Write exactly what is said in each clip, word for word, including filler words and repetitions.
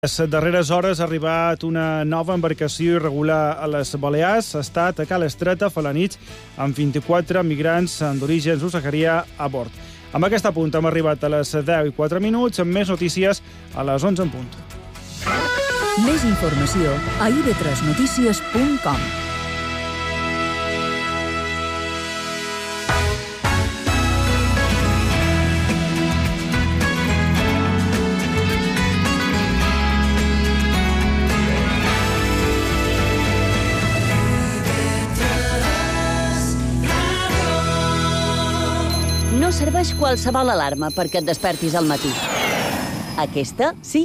Les darreres hores ha arribat una nova embarcació irregular a les Balears. Ha estat a Cala Estreta fa la nit amb vint-i-quatre migrants d'origen subsaharià a bord. Amb aquesta punt hem arribat a les deu i quatre minuts, amb més notícies a les onze en punt. Més informació a i ve tres notícies punt com. No serveix qualsevol alarma perquè et despertis al matí. Aquesta, sí.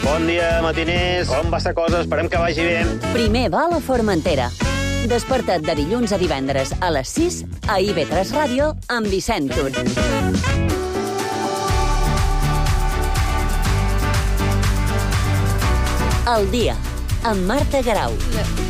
Bon dia, matiners. Com va esta cosa? Esperem que vagi bé. Primer va a la Formentera. Desperta't de dilluns a divendres a les sis a i ve tres Ràdio amb Vicent Tur. El dia, amb Marta Garau.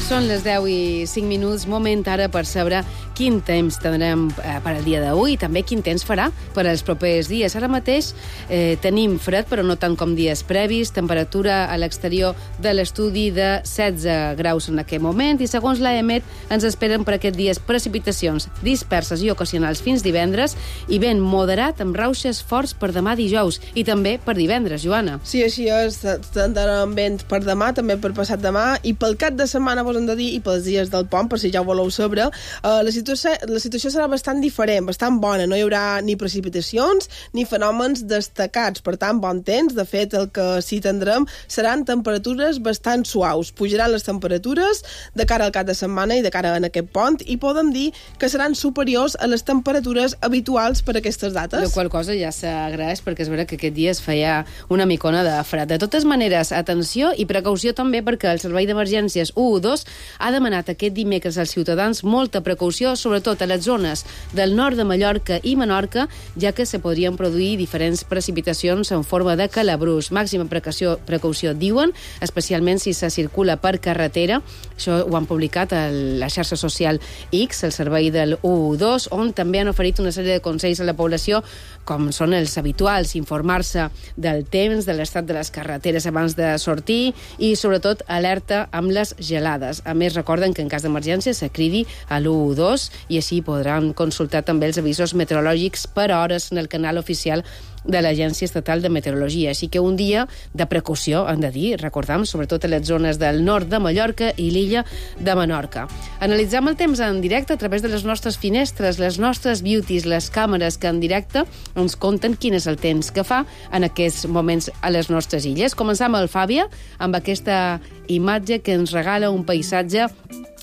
Són les deu i cinc minuts, moment ara per saber quin temps tindrem eh, per al dia d'avui i també quin temps farà per als propers dies. Ara mateix eh, tenim fred, però no tant com dies previs, temperatura a l'exterior de l'estudi de setze graus en aquest moment i segons l'A E M E T ens esperen per aquest dies precipitacions disperses i ocasionals fins divendres i vent moderat amb rauxes forts per demà dijous i també per divendres, Joana. Sí, així és, tindrem vent per demà, també per passat demà i pel cap de setmana vos hem de dir i pels dies del pont, per si ja ho voleu saber, eh, la situació, la situació serà bastant diferent, bastant bona. No hi haurà ni precipitacions ni fenòmens destacats. Per tant, bon temps. De fet, el que sí tindrem seran temperatures bastant suaus. Pujaran les temperatures de cara al cap de setmana i de cara a aquest pont i podem dir que seran superiors a les temperatures habituals per a aquestes dates. La qual cosa ja s'agraeix perquè és vera que aquest dia es feia una micona de fred. De totes maneres, atenció i precaució també perquè el Servei d'Emergències u dotze ha demanat aquest dimecres als ciutadans molta precaució, sobretot a les zones del nord de Mallorca i Menorca, ja que se podrien produir diferents precipitacions en forma de calabrús. Màxima precaució, precaució diuen, especialment si se circula per carretera. Això ho han publicat a la xarxa social X, el servei del u dotze, on també han oferit una sèrie de consells a la població, com són els habituals, informar-se del temps, de l'estat de les carreteres abans de sortir i, sobretot, alerta amb les gelades. A més, recorden que en cas d'emergència se cridi a l'u dotze i així podran consultar també els avisos meteorològics per hores en el canal oficial de l'Agència Estatal de Meteorologia. Així que un dia de precaució, han de dir, recordam, sobretot a les zones del nord de Mallorca i l'illa de Menorca. Analitzam el temps en directe a través de les nostres finestres, les nostres beauties, les càmeres que en directe ens conten quin és el temps que fa en aquests moments a les nostres illes. Començam al Fàbia, amb aquesta imatge que ens regala un paisatge,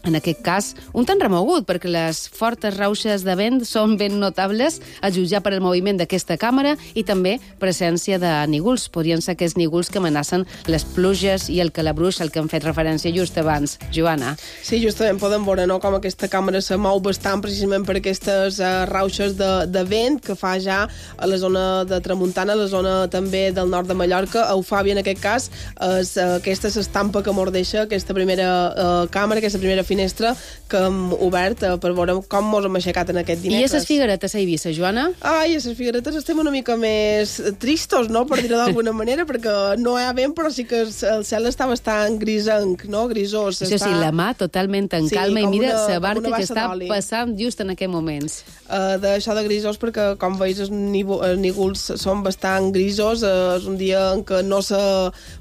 en aquest cas, un tant remogut, perquè les fortes rauxes de vent són ben notables, a jutjar per el moviment d'aquesta càmera i també presència de nígols. Podrien ser aquests nígols que amenacen les pluges i el calabruix al que hem fet referència just abans. Joana. Sí, justament podem veure, no?, com aquesta càmera se mou bastant precisament per aquestes uh, rauxes de, de vent que fa ja a la zona de Tramuntana, a la zona també del nord de Mallorca. A Eufàbia, en aquest cas, és uh, aquesta s'estampa que mordeixa, aquesta primera uh, càmera, aquesta primera finestra que hem obert uh, per veure com mos hem aixecat en aquest dimecres. I a les Figueretes a Eivissa, Joana? Ai, a les Figueretes estem una mica més tristos, no?, per dir-ho d'alguna manera, perquè no hi ha vent, però sí que el cel està bastant grisenc, no?, grisós. Això està... sí, la mà totalment en sí, calma i mira una, la barca que està d'oli. passant just en aquests moments. Uh, D'això de grisós, perquè, com veus, els nígols són bastant grisos. Uh, és un dia en què no se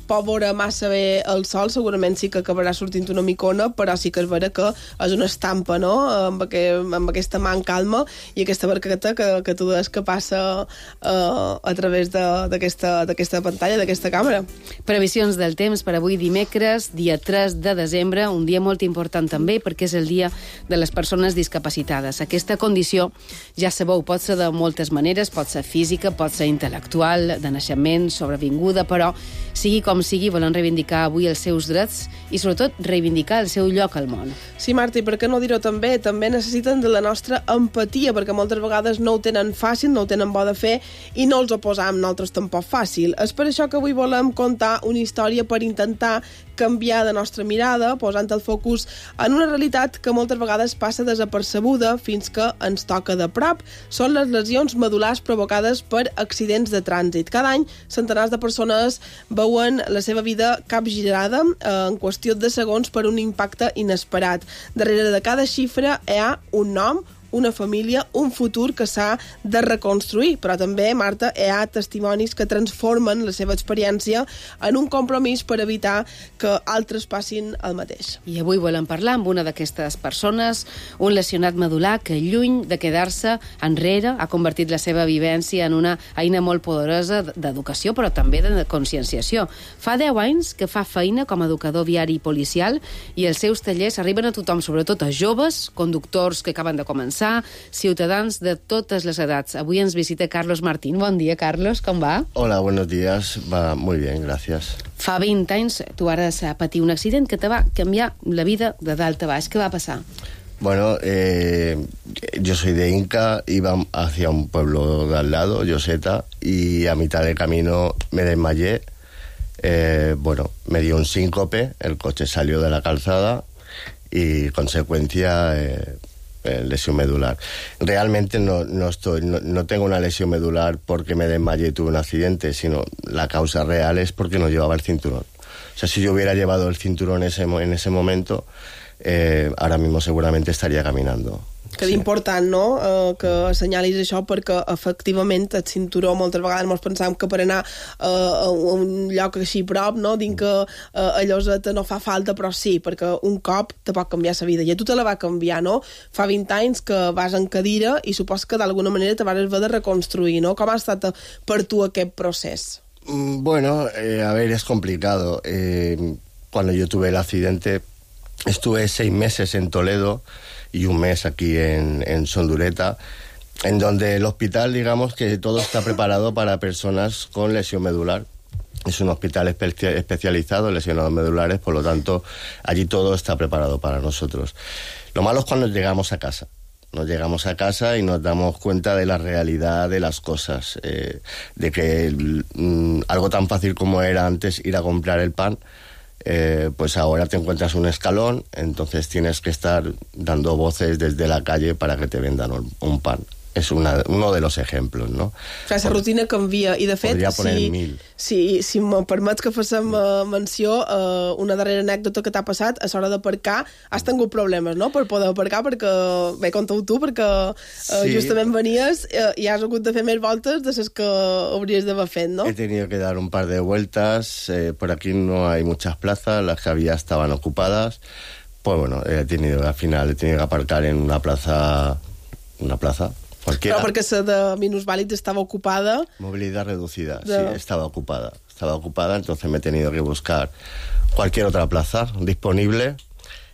pot veure massa bé el sol, segurament sí que acabarà sortint una micona, però sí que és vera que és una estampa, no?, amb, aquest, amb aquesta mà en calma i aquesta barqueta que, que tu deies que passa uh, a través d'aquesta pantalla, d'aquesta càmera. Previsions del temps per avui dimecres, dia tres de desembre, un dia molt important també perquè és el dia de les persones discapacitades. Aquesta condició, ja sabeu, pot ser de moltes maneres, pot ser física, pot ser intel·lectual, de naixement, sobrevinguda, però sigui com sigui, volen reivindicar avui els seus drets i sobretot reivindicar el seu lloc al món. món. Sí, Marta, i per què no dir-ho també? També necessiten de la nostra empatia, perquè moltes vegades no ho tenen fàcil, no ho tenen bo de fer, i no els ho posam nosaltres tampoc fàcil. És per això que avui volem contar una història per intentar canviar de nostra mirada, posant el focus en una realitat que moltes vegades passa desapercebuda fins que ens toca de prop. Són les lesions medul·lars provocades per accidents de trànsit. Cada any, centenars de persones veuen la seva vida capgirada eh, en qüestió de segons per un impacte inesperat. Darrere de cada xifra hi ha un nom, una família, un futur que s'ha de reconstruir. Però també, Marta, hi ha testimonis que transformen la seva experiència en un compromís per evitar que altres passin el mateix. I avui volem parlar amb una d'aquestes persones, un lesionat medul·lar que, lluny de quedar-se enrere, ha convertit la seva vivència en una eina molt poderosa d'educació, però també de conscienciació. Fa deu anys que fa feina com a educador viari i policial i els seus tallers arriben a tothom, sobretot a joves, conductors que acaben de començar, ciutadans de totes les edats. Avui ens visita Carlos Martín. Bon dia, Carlos, com va? Hola, buenos días. Va muy bien, gracias. Fa vint anys tu ara has patit un accident que te va canviar la vida de dalt a baix. Què va passar? Bueno, eh, yo soy de Inca, iba hacia un pueblo de al lado, Lloseta, y a mitad del camino me desmayé. Eh, bueno, me dio un síncope, el coche salió de la calzada y, consecuencia, eh, eh, lesión medular. Realmente no, no, estoy, no, no tengo una lesión medular porque me desmayé y tuve un accidente, sino la causa real es porque no llevaba el cinturón. O sea, si yo hubiera llevado el cinturón ese, en ese momento, eh, ahora mismo seguramente estaría caminando. Que és important, no?, eh, que assenyalis això, perquè efectivament el cinturó moltes vegades ens pensam que per anar eh, a un lloc així prop, no?, dient que eh, a Lloseta no fa falta, però sí, perquè un cop te pot canviar la vida. I a tu te la va canviar, no? Fa vint anys que vas en cadira i supos que d'alguna manera te vas haver de reconstruir, no? Com ha estat per tu aquest procés? Bueno, eh, a ver, es complicado. Eh, cuando yo tuve el accidente, estuve seis meses en Toledo y un mes aquí en, en Sondureta, en donde el hospital, digamos que todo está preparado para personas con lesión medular. Es un hospital espe- especializado en lesionados medulares, por lo tanto, allí todo está preparado para nosotros. Lo malo es cuando llegamos a casa. Nos llegamos a casa y nos damos cuenta de la realidad de las cosas, eh, de que mm, algo tan fácil como era antes ir a comprar el pan, Eh, pues ahora te encuentras un escalón, entonces tienes que estar dando voces desde la calle para que te vendan un, un pan. És una, uno de los ejemplos, no? Clar, la rutina canvia, i de fet, si, si, si me permets que féssim uh, menció, uh, una darrera anècdota que t'ha passat, a l'hora d'aparcar, has tingut problemes, no?, per poder aparcar, perquè, bé, conta-ho tu, perquè uh, sí. justament venies uh, i has hagut de fer més voltes de les que hauries d'haver fet, no? He tenido que dar un par de vueltas, eh, por aquí no hay muchas plazas, las que había estaban ocupadas, pues bueno, he tenido, al final he tenido que aparcar en una plaza, una plaza, cualquiera. Però perquè la de minusvàlids estava ocupada. Movilidad reducida, de... sí, estaba ocupada. Estaba ocupada, entonces me he tenido que buscar cualquier otra plaza disponible.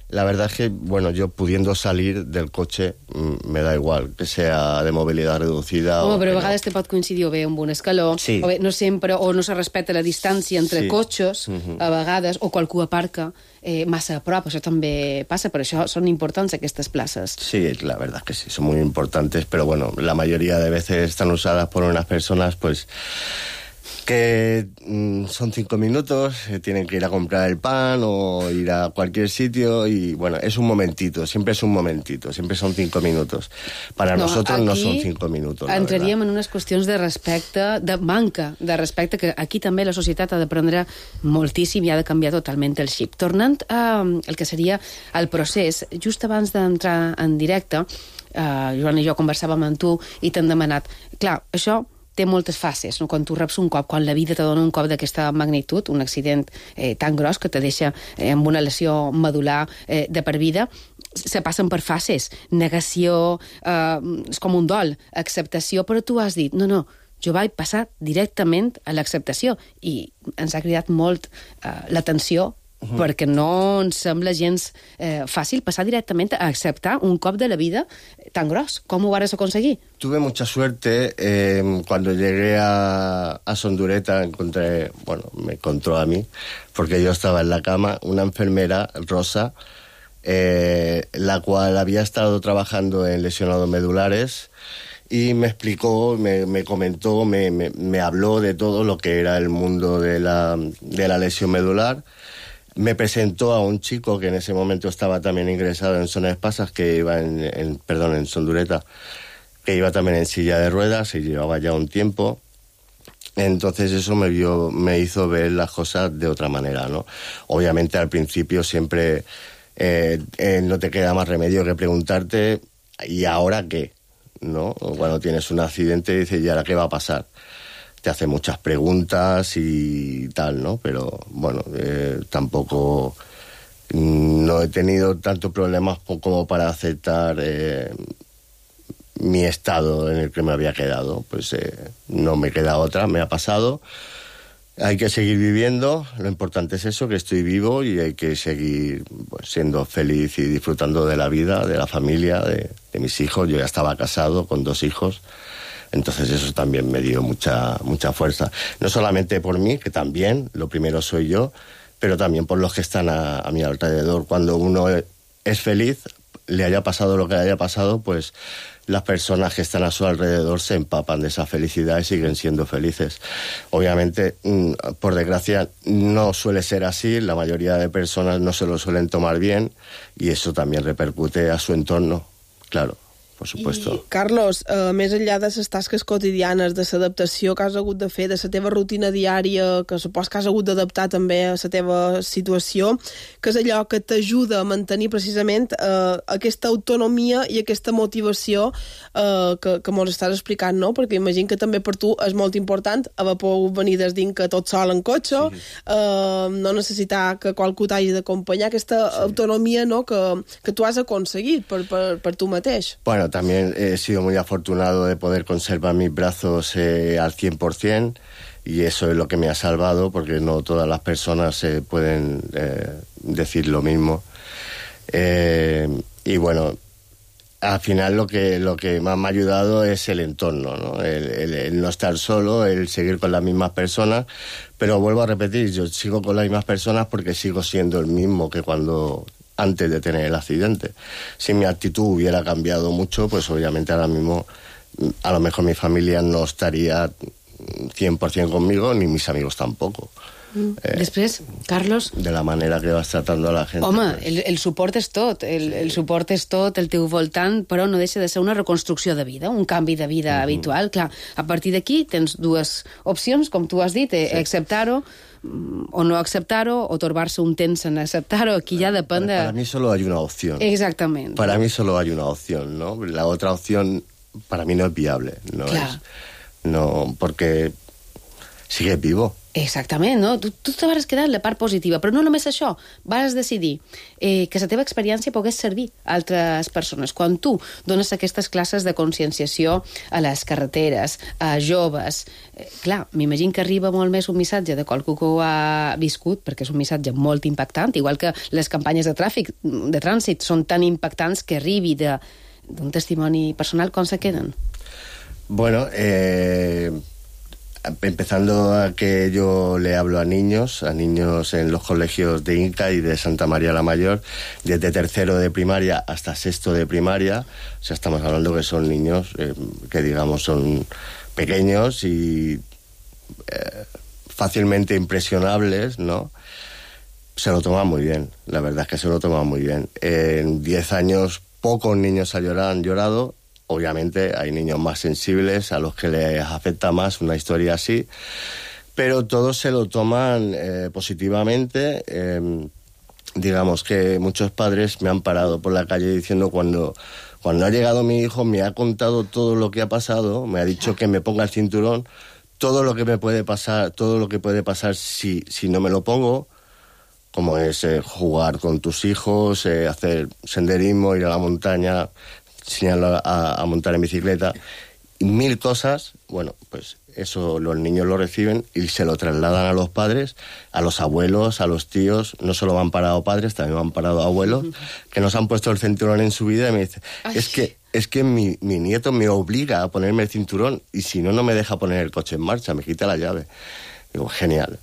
La verdad es que, bueno, yo pudiendo salir del coche, me da igual, que sea de movilidad reducida Home, o... però a no. vegades te pot coincidir o bé amb un escaló, sí. o bé no sempre, o no se respecta la distància entre sí. cotxes, uh-huh. a vegades, o qualcú aparca eh, massa a prop, això també passa, per això són importants aquestes places. Sí, la verdad es que sí, son muy importantes, pero bueno, la mayoría de veces están usadas por unas personas, pues... que mmm, son cinco minutos, eh, tienen que ir a comprar el pan o ir a cualquier sitio y, bueno, es un momentito, siempre es un momentito, siempre son cinco minutos. Para no, nosotros no son cinco minutos, la entraríem verdad. en unes qüestions de respecte, de manca de respecte, que aquí també la societat ha d'aprendre moltíssim i ha de canviar totalment el xip. Tornant al eh, que seria el procés, just abans d'entrar en directe, eh, Joan i jo conversàvem amb tu i t'han demanat, clar, això té moltes fases, no? Quan tu reps un cop, quan la vida te dona un cop d'aquesta magnitud, un accident eh, tan gros que te deixa eh, amb una lesió medular eh, de per vida, se passen per fases. Negació, eh, és com un dol, acceptació, però tu has dit, no, no, jo vaig passar directament a l'acceptació i ens ha cridat molt eh, l'atenció Uh-huh. perquè no ens sembla gens eh, fàcil passar directament a acceptar un cop de la vida tan gros. Com ho vas aconseguir? Tuve mucha suerte. Eh, cuando llegué a, a Sondureta encontré, bueno, me encontró a mí, porque yo estaba en la cama, una enfermera, Rosa, eh, la cual había estado trabajando en lesionados medulares y me explicó, me, me comentó, me, me, me habló de todo lo que era el mundo de la, de la lesión medular. Me presentó a un chico que en ese momento estaba también ingresado en Son Espasas, que iba en, en perdón, en Son Dureta, que iba también en silla de ruedas y llevaba ya un tiempo. Entonces eso me vio, me hizo ver las cosas de otra manera, ¿no? Obviamente al principio siempre eh, eh, no te queda más remedio que preguntarte ¿y ahora qué? ¿No? Cuando tienes un accidente dices ¿y ahora qué va a pasar? Te hace muchas preguntas y tal, ¿no? Pero bueno, eh, tampoco no he tenido tantos problemas como para aceptar eh, mi estado en el que me había quedado. Pues eh, no me queda otra, me ha pasado. Hay que seguir viviendo, lo importante es eso, que estoy vivo y hay que seguir pues, siendo feliz y disfrutando de la vida, de la familia, de, de mis hijos. Yo ya estaba casado con dos hijos. Entonces eso también me dio mucha, mucha fuerza. No solamente por mí, que también, lo primero soy yo, pero también por los que están a, a mi alrededor. Cuando uno es feliz, le haya pasado lo que le haya pasado, pues las personas que están a su alrededor se empapan de esa felicidad y siguen siendo felices. Obviamente, por desgracia, no suele ser así. La mayoría de personas no se lo suelen tomar bien y eso también repercute a su entorno, claro. Per supuesto. I, Carlos, uh, més enllà de les tasques quotidianes, de l'adaptació que has hagut de fer, de la teva rutina diària, que supos que has hagut d'adaptar també a la teva situació, que és allò que t'ajuda a mantenir precisament uh, aquesta autonomia i aquesta motivació uh, que, que mos estàs explicant, no? Perquè imagino que també per tu és molt important haver pogut venir des dintre tot sol en cotxe, sí. uh, no necessitar que qualcú t'hagi d'acompanyar, aquesta sí. autonomia, no? que, que tu has aconseguit per, per, per tu mateix. Bueno, también he sido muy afortunado de poder conservar mis brazos eh, al cien por ciento y eso es lo que me ha salvado porque no todas las personas eh, pueden eh, decir lo mismo. Eh, y bueno, al final lo que, lo que más me ha ayudado es el entorno, ¿no? El, el, el no estar solo, el seguir con las mismas personas, pero vuelvo a repetir, yo sigo con las mismas personas porque sigo siendo el mismo que cuando... antes de tener el accidente. Si mi actitud hubiera cambiado mucho, pues obviamente ahora mismo a lo mejor mi familia no estaría cien por ciento conmigo, ni mis amigos tampoco. Mm. Eh, Després, Carlos... De la manera que vas tratando a la gent. Home, pues... el, el suport és tot, el, sí. el suport és tot, el teu voltant, però no deixa de ser una reconstrucció de vida, un canvi de vida mm-hmm. habitual. Clar, a partir d'aquí tens dues opcions, com tu has dit, eh, sí. acceptar-ho, o no acceptar-ho, o torbar-se un temps en acceptar-ho, aquí ya depende... Para, para mí solo hay una opción. Exactamente. Para mí solo hay una opción, ¿no? La otra opción para mí no es viable, no claro. es... No, porque sigue vivo. Exactament, no? Tu, tu te vas quedar en la part positiva, però no només això. Vas decidir eh, que la teva experiència pogués servir a altres persones. Quan tu dones aquestes classes de conscienciació a les carreteres, a joves, eh, clar, m'imagino que arriba molt més un missatge de qualcú que ho ha viscut, perquè és un missatge molt impactant, igual que les campanyes de tràfic, de trànsit, són tan impactants que arribi d'un testimoni personal. Com se queden? Bueno, eh... empezando a que yo le hablo a niños, a niños en los colegios de Inca y de Santa María la Mayor, desde tercero de primaria hasta sexto de primaria. O sea, estamos hablando que son niños eh, que, digamos, son pequeños y eh, fácilmente impresionables, ¿no? Se lo toman muy bien, la verdad es que se lo toman muy bien. En diez años pocos niños han llorado, han llorado. Obviamente hay niños más sensibles a los que les afecta más una historia así, pero todos se lo toman eh, positivamente. Eh, digamos que muchos padres me han parado por la calle diciendo cuando, cuando ha llegado mi hijo me ha contado todo lo que ha pasado, me ha dicho que me ponga el cinturón, todo lo que me puede pasar, todo lo que puede pasar si, si no me lo pongo, como es eh, jugar con tus hijos, eh, hacer senderismo, ir a la montaña, enseñarlo a, a montar en bicicleta, y mil cosas. Bueno, pues eso los niños lo reciben y se lo trasladan a los padres, a los abuelos, a los tíos. No solo van parado padres, también van parado abuelos, que nos han puesto el cinturón en su vida y me dicen, es que, es que mi, mi nieto me obliga a ponerme el cinturón y si no, no me deja poner el coche en marcha, me quita la llave. Digo, genial,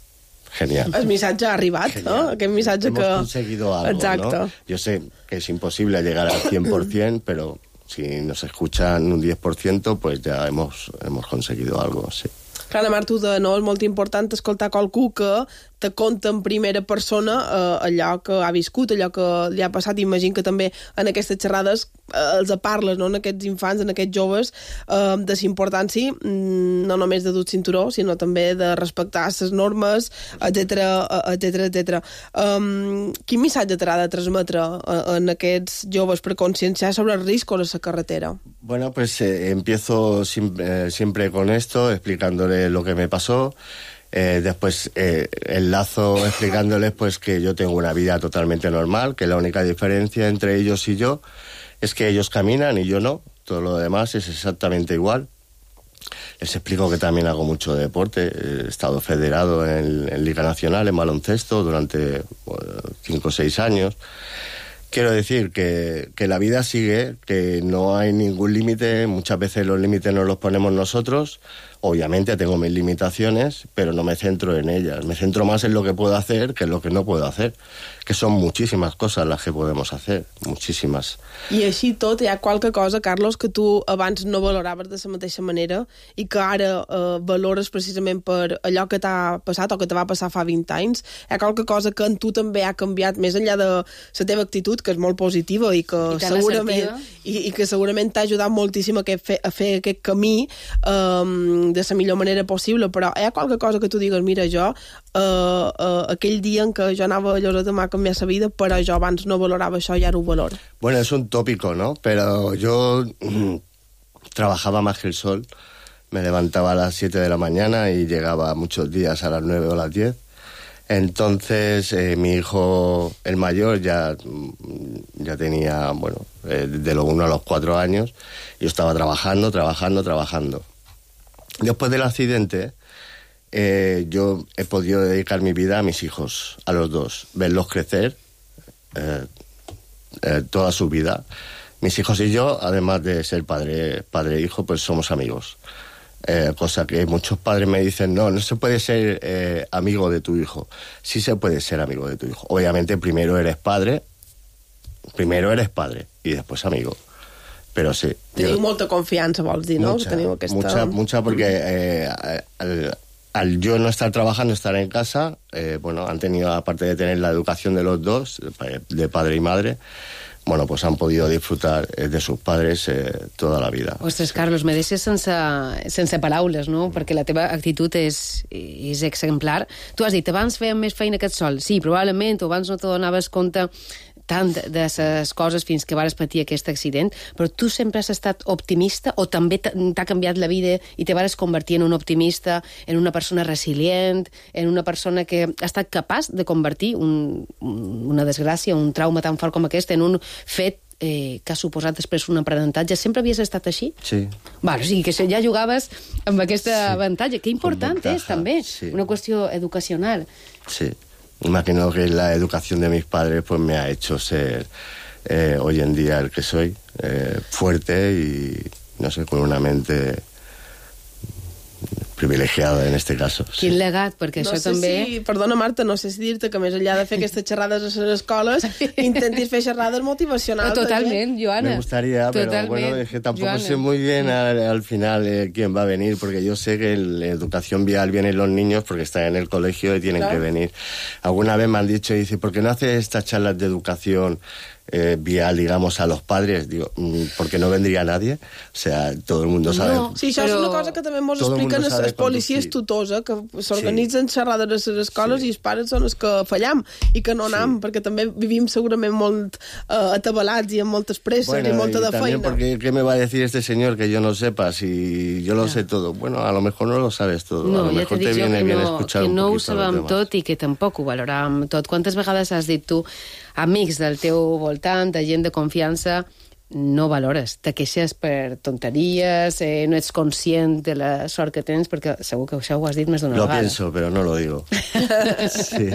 genial. El missatge ha arribat, Genial. ¿no? Aquest missatge Hemos que... conseguido algo, Exacte. ¿no? Yo sé que es imposible llegar al cien por ciento, pero si nos escuchan un diez por ciento, pues ya hemos, hemos conseguido algo, sí. Clar, Marc, tu de, no? És molt important escoltar qualcú que te conta en primera persona eh, allò que ha viscut, allò que li ha passat. Imagino que també en aquestes xerrades eh, els parles, no? En aquests infants, en aquests joves, eh, de la importància no només de dur cinturó, sinó també de respectar les normes, etcètera, etcètera, etcètera. Um, quin missatge t'ha de transmetre eh, en aquests joves per conscienciar sobre els riscos a la carretera? Bueno, pues eh, empiezo siempre, eh, siempre con esto, explicándole lo que me pasó. Eh, después eh, enlazo explicándoles pues que yo tengo una vida totalmente normal, que la única diferencia entre ellos y yo es que ellos caminan y yo no. Todo lo demás es exactamente igual. Les explico que también hago mucho deporte. He estado federado en, en Liga Nacional, en baloncesto, durante bueno, cinco o seis años. Quiero decir que, que la vida sigue, que no hay ningún límite. Muchas veces los límites nos los ponemos nosotros. Obviamente tengo mis limitaciones, pero no me centro en ellas. Me centro más en lo que puedo hacer que en lo que no puedo hacer, que son muchísimas cosas las que podemos hacer, muchísimas. I així tot, hi ha qualque cosa, Carlos, que tu abans no valoraves de la mateixa manera i que ara eh, valores precisament per allò que t'ha passat o que te va passar fa vint anys. Hi ha qualque cosa que en tu també ha canviat, més enllà de la teva actitud, que és molt positiva i que I segurament i, i que segurament t'ha ajudat moltíssim a, que, a fer aquest camí eh, de la millor manera possible, però hi ha qualque cosa que tu digues, mira, jo eh, eh, aquell dia en què jo anava a Lloseta m'ha canviat la vida, però jo abans no valorava això i ara ho valoro. Bueno, es un tópico, ¿no? Pero yo mm, trabajaba más que el sol. Me levantaba a las siete de la mañana y llegaba muchos días a las nueve o las diez. Entonces, eh, mi hijo, el mayor, ya, ya tenía, bueno, eh, de los uno a los cuatro años. Yo estaba trabajando, trabajando, trabajando. Después del accidente, eh, yo he podido dedicar mi vida a mis hijos, a los dos, verlos crecer eh, eh, toda su vida. Mis hijos y yo, además de ser padre, padre e hijo, pues somos amigos. Eh, cosa que muchos padres me dicen, no, no se puede ser eh, amigo de tu hijo. Sí se puede ser amigo de tu hijo. Obviamente primero eres padre, primero eres padre y después amigo. Pero sí. Teniu yo, molta confiança, vols dir, no? mucha, Teniu aquesta... mucha, mucha, porque eh, al, al yo no estar trabajando, estar en casa, eh, bueno, han tenido, aparte de tener la educación de los dos, de padre y madre, bueno, pues han podido disfrutar de sus padres eh, toda la vida. Ostres, Carlos, me deixes sense, sense paraules, no? Perquè la teva actitud és, és exemplar. Tu has dit, abans fèiem més feina que et sol. Sí, probablement, o abans no te donaves compte tant de les coses fins que vares patir aquest accident, però tu sempre has estat optimista o també t'ha canviat la vida i te vares convertir en un optimista, en una persona resilient, en una persona que ha estat capaç de convertir un, una desgràcia, un trauma tan fort com aquest en un fet eh, que ha suposat després un aprenentatge. Sempre havies estat així? Sí. Vale, o sigui que ja jugaves amb aquest sí. avantatge. Que important és, també. Sí. Una qüestió educacional. Sí. Imagino que la educación de mis padres pues me ha hecho ser eh, hoy en día el que soy, eh, fuerte y, no sé, con una mente privilegiada en este caso. Quin sí. legat, perquè no això sé també... Si, perdona, Marta, no sé si dir-te que més enllà de fer aquestes xerrades a les escoles, intentis fer xerrades motivacionals. Totalment, Joana. Me gustaría, Totalment. pero bueno, es que tampoco Joana. sé muy bien al, al final eh, quién va a venir, porque yo sé que en la educación vial vienen los niños porque están en el colegio y tienen claro. que venir. Alguna vez me han dicho, dice, ¿por qué no haces estas charlas de educación eh, vial, digamos, a los padres? Digo, porque no vendría nadie. O sea, todo el mundo sabe. No, sí, això però... és una cosa que també ens expliquen els, els policies tutors, eh, que s'organitzen sí. xerrades a les escoles sí. i els pares són els que fallam i que no anam, sí. perquè també vivim segurament molt eh, atabalats i amb moltes presses bueno, i molta y de feina. Porque, ¿qué me va a decir este señor que yo no sepa si yo lo no. sé todo? Bueno, a lo mejor no lo sabes todo. No, a lo ja mejor te te viene que bien no, escuchar que un no ho poquito sabem tot i que tampoc ho valoràvem tot. Quantes vegades has dit tu, amics del teu voltant, de gent de confiança, no valores, te queixes per tonteries, eh, no ets conscient de la sort que tens, perquè segur que això ho has dit més d'una lo vegada. Lo pienso, pero no lo digo. sí.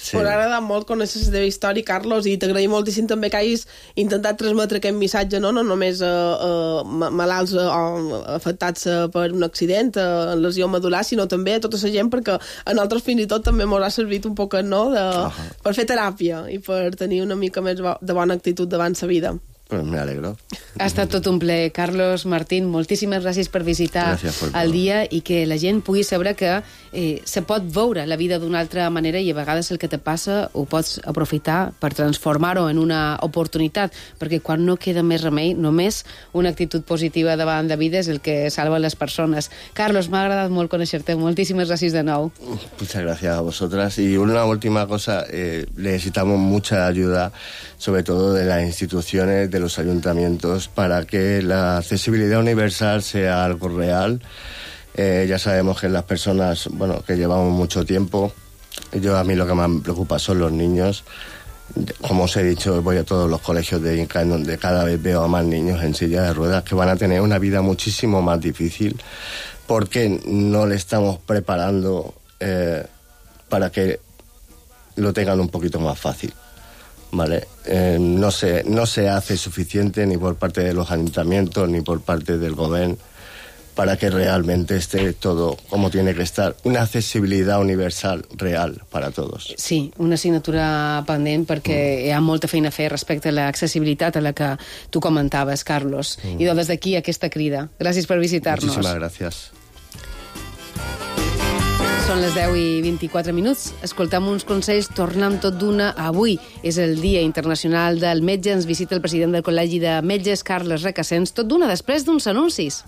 Sí. M'ha agradat molt conèixer la teva història, Carlos, i t'agraïm moltíssim també que hagis intentat transmetre aquest missatge, no, no només a, a malalts o afectats per un accident, a lesió medular, sinó també a tota la gent, perquè a nosaltres fins i tot també ens ha servit un poquet, no?, de, uh-huh. per fer teràpia i per tenir una mica més de bona actitud davant la vida. Pues me alegro. Ha estat tot un ple. Carlos Martín, moltíssimes gràcies per visitar el dia i que la gent pugui saber que eh, se pot veure la vida d'una altra manera i a vegades el que te passa ho pots aprofitar per transformar-ho en una oportunitat, perquè quan no queda més remei, només una actitud positiva davant de vida és el que salva les persones. Carlos, m'ha agradat molt conèixer-te. Moltíssimes gràcies de nou. Muchas gracias a vosotras. Y una última cosa, eh, necesitamos mucha ayuda, sobre todo de las instituciones, de los ayuntamientos, para que la accesibilidad universal sea algo real. Eh, ya sabemos que las personas, bueno, que llevamos mucho tiempo, yo a mí lo que más me preocupa son los niños. Como os he dicho, voy a todos los colegios de Inca, en donde cada vez veo a más niños en silla de ruedas que van a tener una vida muchísimo más difícil, porque no le estamos preparando eh, para que lo tengan un poquito más fácil. Vale, eh, no se, no se hace suficiente ni por parte de los ayuntamientos ni por parte del gobierno para que realmente esté todo como tiene que estar. Una accesibilidad universal real para todos. Sí, una assignatura pendent perquè mm. hi ha molta feina a fer respecte a l'accessibilitat a la que tu comentaves, Carlos. Mm. I des d'aquí aquesta crida. Gràcies per visitar-nos. Muchísimas gracias. Són les deu i vint-i-quatre minuts. Escoltem uns consells, tornem tot d'una. Avui és el Dia Internacional del Metge. Ens visita el president del Col·legi de Metges, Carles Recasens, tot d'una després d'uns anuncis.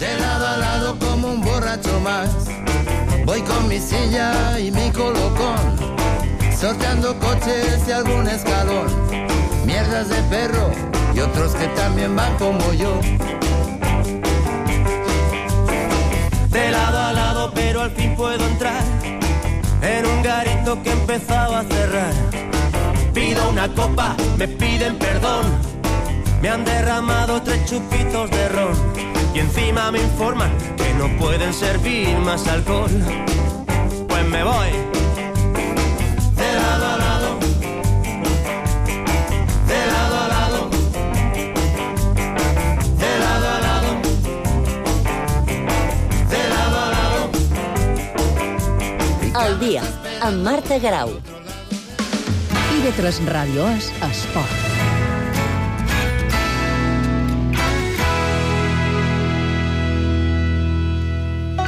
De lado a lado como un borracho más, voy con mi silla y mi colocón, sorteando coches y algún escalón, mierdas de perro y otros que también van como yo. De lado a lado, pero al fin puedo entrar en un garito que empezaba a cerrar. Pido una copa, me piden perdón, me han derramado tres chupitos de ron y encima me informan que no pueden servir más alcohol. Pues me voy de lado a lado, de lado a lado, de lado a lado, de lado a lado. El dia, amb Marta Garau. I ve tres Ràdio és Esport.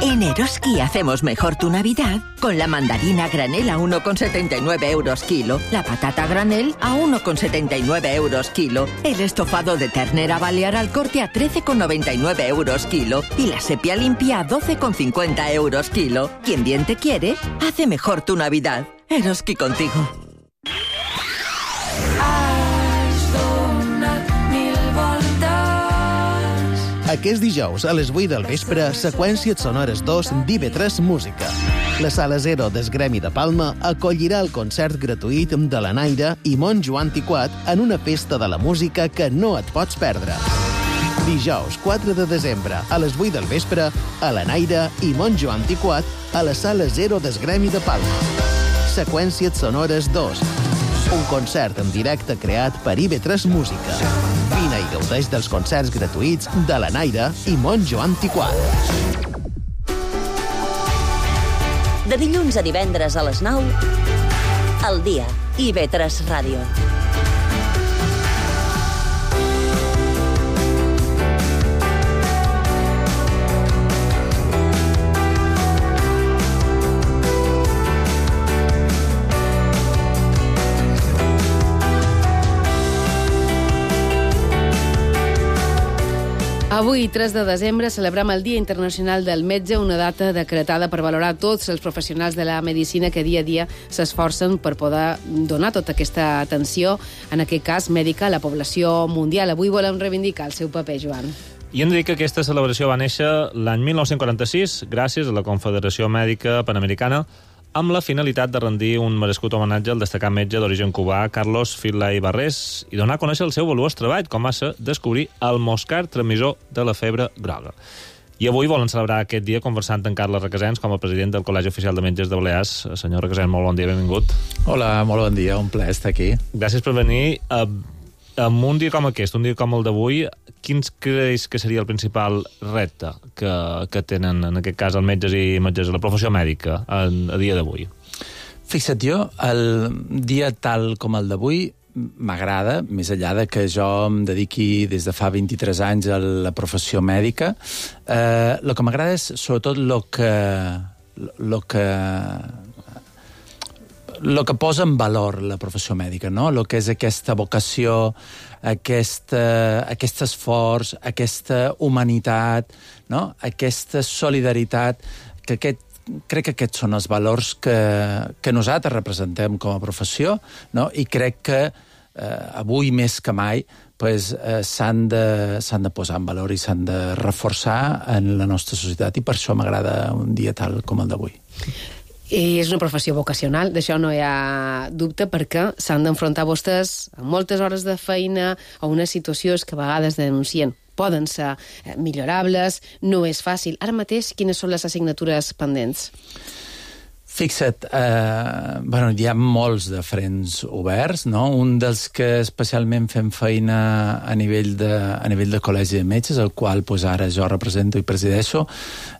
En Eroski hacemos mejor tu Navidad con la mandarina granel a uno con setenta y nueve euros kilo, la patata granel a uno con setenta y nueve euros kilo, el estofado de ternera balear al corte a trece con noventa y nueve euros kilo y la sepia limpia a doce con cincuenta euros kilo. Quien bien te quiere, hace mejor tu Navidad. Eroski contigo. Aquest dijous, a les vuit del vespre, Seqüències Sonores dos d'I V tres Música. La Sala Zero del Gremi de Palma acollirà el concert gratuït de la Naira i Montjoan Tiquat en una festa de la música que no et pots perdre. Dijous, quatre de desembre, a les vuit del vespre, a la Naira i Montjoan Tiquat a la Sala Zero del Gremi de Palma. Seqüències Sonores dos. Un concert en directe creat per I V tres Música. Vine i gaudeix dels concerts gratuïts de la Naira i Montjoan Tiquat. De dilluns a divendres a les nou, El dia, I V tres Ràdio. Avui, tres de desembre, celebrem el Dia Internacional del Metge, una data decretada per valorar tots els professionals de la medicina que dia a dia s'esforcen per poder donar tota aquesta atenció, en aquest cas mèdica, a la població mundial. Avui volem reivindicar el seu paper, Joan. I hem de dir que aquesta celebració va néixer l'any mil nou-cents quaranta-sis gràcies a la Confederació Mèdica Panamericana amb la finalitat de rendir un merescut homenatge al destacat metge d'origen cubà Carlos Finlay Barrés i donar a conèixer el seu valuós treball, com va ser descobrir el moscar transmissor de la febre groga. I avui volen celebrar aquest dia conversant amb Carles Requesens com a president del Col·legi Oficial de Metges de Balears. Senyor Requesens, molt bon dia, benvingut. Hola, molt bon dia, un plaer estar aquí. Gràcies per venir. En un dia com aquest, un dia com el d'avui, quins creus que seria el principal repte que, que tenen, en aquest cas, els metges i metges, la professió mèdica, a, a dia d'avui? Fixa't, jo, el dia tal com el d'avui m'agrada, més enllà de que jo em dediqui des de fa vint-i-tres anys a la professió mèdica. Eh, el que m'agrada és, sobretot, el que, lo que, lo que posa en valor la professió mèdica, no? El que és aquesta vocació, aquesta, aquest esforç, aquesta humanitat, no? Aquesta solidaritat, que aquest crec que aquests són els valors que, que nosaltres representem com a professió, no? I crec que eh, avui més que mai pues, eh, s'han de, s'han de posar en valor i s'han de reforçar en la nostra societat, i per això m'agrada un dia tal com el d'avui. I és una professió vocacional, d'això no hi ha dubte, perquè s'han d'enfrontar vostès a moltes hores de feina, a unes situacions que a vegades denuncien poden ser millorables, no és fàcil. Ara mateix, quines són les assignatures pendents? Fixa't, eh, bueno, hi ha molts de frents oberts, no? Un dels que especialment fem feina a nivell de, a nivell de col·legi de metges, el qual pues, ara jo represento i presideixo,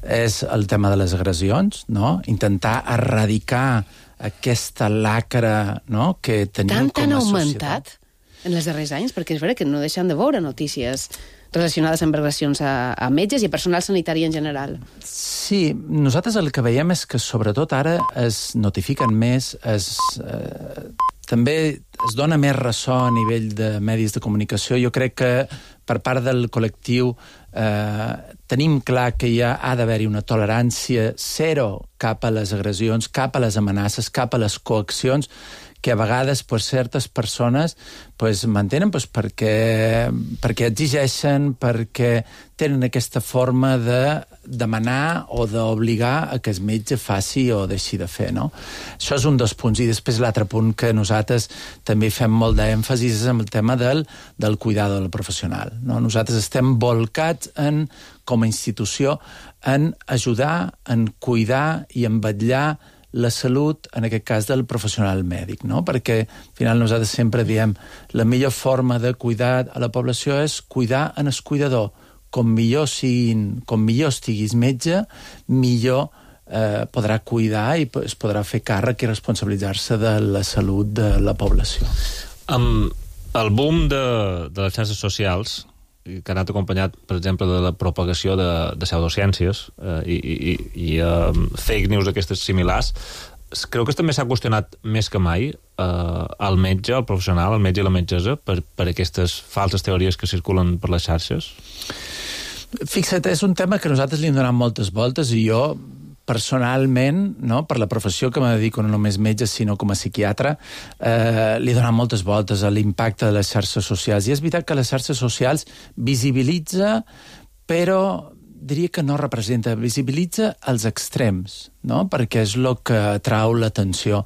és el tema de les agressions, no? Intentar erradicar aquesta lacra, no? Que tenim com a societat. Tant han augmentat en els darrers anys? Perquè és vera que no deixen de veure notícies relacionades amb agressions a, a metges i a personal sanitari en general. Sí, nosaltres el que veiem és que sobretot ara es notifiquen més, es, eh, també es dona més ressò a nivell de medis de comunicació. Jo crec que per part del col·lectiu eh, tenim clar que ja ha d'haver-hi una tolerància zero cap a les agressions, cap a les amenaces, cap a les coaccions, que a vegades pues, certes persones pues, mantenen pues, perquè, perquè exigeixen, perquè tenen aquesta forma de demanar o d'obligar a que el metge faci o deixi de fer, no? Això és un dels punts. I després l'altre punt que nosaltres també fem molt d'èmfasis és en el tema del, del cuidado del professional, no? Nosaltres estem volcats en, com a institució, en ajudar, en cuidar i en vetllar la salut, en aquest cas, del professional mèdic, no? Perquè, al final, nosaltres sempre diem la millor forma de cuidar a la població és cuidar en el cuidador. Com millor, siguin, com millor estiguis metge, millor eh, podrà cuidar i es podrà fer càrrec i responsabilitzar-se de la salut de la població. Amb el boom de, de les xarxes socials, que ha anat acompanyat, per exemple, de la propagació de, de pseudociències eh, i, i, i uh, fake news aquestes similars, creu que també s'ha qüestionat més que mai eh, el metge, el professional, el metge i la metgessa per, per aquestes falses teories que circulen per les xarxes? Fixa't, és un tema que nosaltres li hem donat moltes voltes i jo personalment, no, per la professió que me dedico, no només metge, sinó com a psiquiatre, eh, li he donat moltes voltes a l'impacte de les xarxes socials. I és veritat que les xarxes socials visibilitza, però diria que no representa, visibilitza els extrems, no? Perquè és el que atrau l'atenció.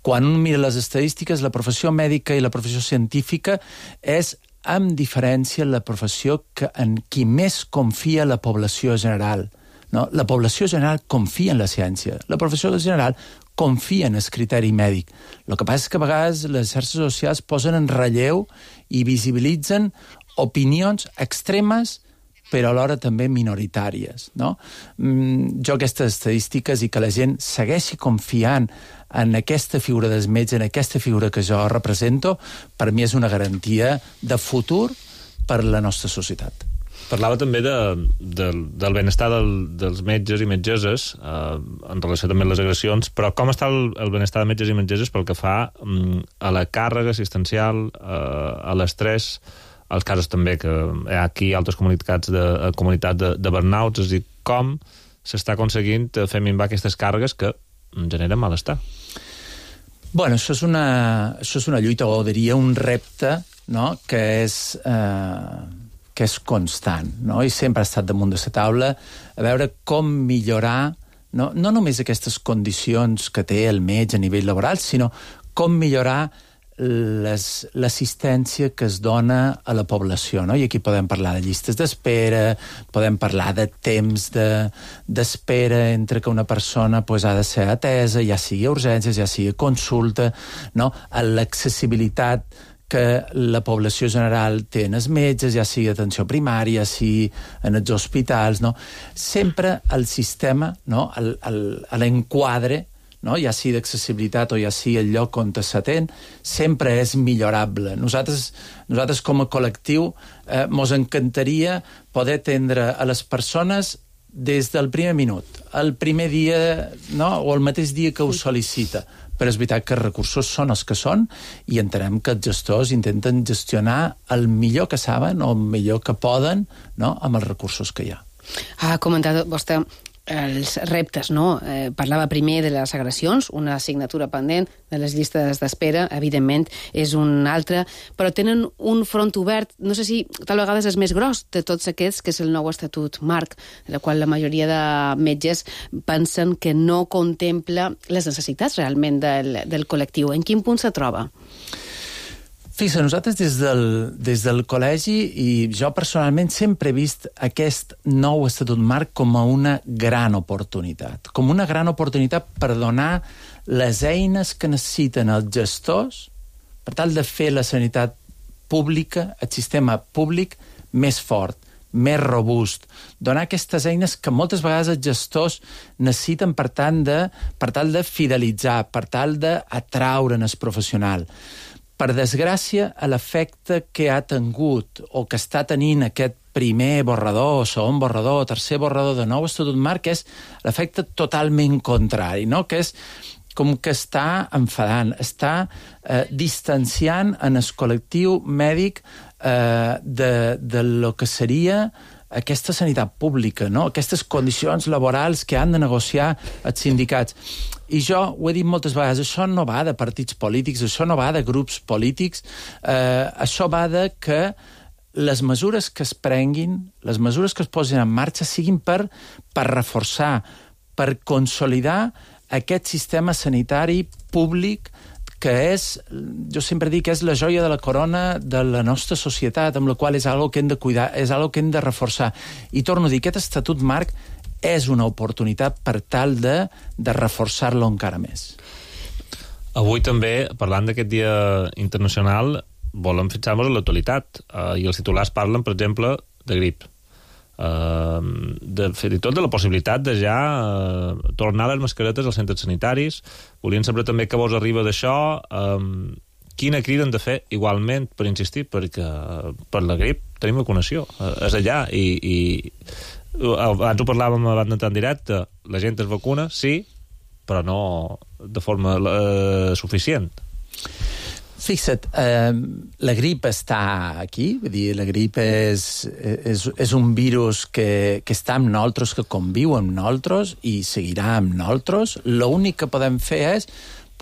Quan un mira les estadístiques, la professió mèdica i la professió científica és, amb diferència, la professió que, en qui més confia la població general. No? La població general confia en la ciència. La professió general confia en el criteri mèdic. El que passa és que a vegades les xarxes socials posen en relleu i visibilitzen opinions extremes però alhora també minoritàries, no? Mm, jo aquestes estadístiques i que la gent segueixi confiant en aquesta figura del metge, en aquesta figura que jo represento, per mi és una garantia de futur per la nostra societat. Parlava també de, de, del benestar del, dels metges i metgesses eh, en relació també amb les agressions, però com està el, el benestar de metges i metgesses pel que fa mm, a la càrrega assistencial, eh, a l'estrès, als casos també que hi ha aquí altres comunitats de, comunitats de, de burnouts, és a dir, com s'està aconseguint fer minvar aquestes càrregues que generen malestar? Bueno, això és una, això és una lluita, o diria un repte, no?, que és... Eh... que és constant, no? I sempre ha estat damunt de la taula a veure com millorar, no, no només aquestes condicions que té el metge a nivell laboral, sinó com millorar l'assistència que es dona a la població, no? I aquí podem parlar de llistes d'espera, podem parlar de temps d'espera de, entre que una persona pues, ha de ser atesa, ja sigui a urgències, ja sigui a consulta, no? A l'accessibilitat que la població general té en els metges, ja sigui atenció primària, ja sigui en els hospitals, no? Sempre el sistema, no? L'enquadre, no? Ja sigui d'accessibilitat o ja sigui el lloc on s'atén, sempre és millorable. Nosaltres, nosaltres com a col·lectiu eh, mos encantaria poder atendre a les persones des del primer minut, el primer dia, no? O el mateix dia que ho sol·licita. Però és veritat que els recursos són els que són i entenem que els gestors intenten gestionar el millor que saben o el millor que poden, no? Amb els recursos que hi ha. Ha comentat vostè els reptes, no? Eh, parlava primer de les agressions, una assignatura pendent, de les llistes d'espera, evidentment, és un altre, però tenen un front obert, no sé si tal vegades és més gros de tots aquests, que és el nou estatut marc, en el qual la majoria de metges pensen que no contempla les necessitats realment del, del col·lectiu. En quin punt se troba? Fixa, nosaltres des del, des del col·legi i jo personalment sempre he vist aquest nou estatut marc com a una gran oportunitat, com una gran oportunitat per donar les eines que necessiten els gestors per tal de fer la sanitat pública, el sistema públic, més fort, més robust, donar aquestes eines que moltes vegades els gestors necessiten per tant de, per tal de fidelitzar, per tal d'atraure el professional. Per desgràcia, l'efecte que ha tingut o que està tenint aquest primer borrador, segon borrador, tercer borrador de nou estatut marc és l'efecte totalment contrari, no? Que és com que està enfadant, està eh, distanciant en el col·lectiu mèdic eh, de, de lo que seria aquesta sanitat pública, no? Aquestes condicions laborals que han de negociar els sindicats. I jo ho he dit moltes vegades, això no va de partits polítics, això no va de grups polítics, eh, això va de que les mesures que es prenguin, les mesures que es posin en marxa siguin per, per reforçar, per consolidar aquest sistema sanitari públic que és, jo sempre dic que és la joia de la corona de la nostra societat, amb la qual és algo que hem de cuidar, és algo que hem de reforçar. I torno a dir, aquest estatut marc és una oportunitat per tal de, de reforçar-lo encara més. Avui també, parlant d'aquest dia internacional, volem fixar-nos en l'actualitat. Uh, I els titulars parlen, per exemple, de grip. Uh, de, fins i tot de la possibilitat de ja uh, tornar les mascaretes als centres sanitaris. Volíem saber també què vos arriba d'això, um, quina crida hem de fer igualment, per insistir, perquè uh, per la grip tenim vacunació, uh, és allà i, i uh, abans ho parlàvem abans d'entrar en directe, la gent es vacuna, sí, però no de forma uh, suficient. Fixa't, eh, la grip està aquí, vull dir, la grip és, és, és un virus que, que està amb nosaltres, que conviu amb nosaltres i seguirà amb nosaltres. L'únic que podem fer és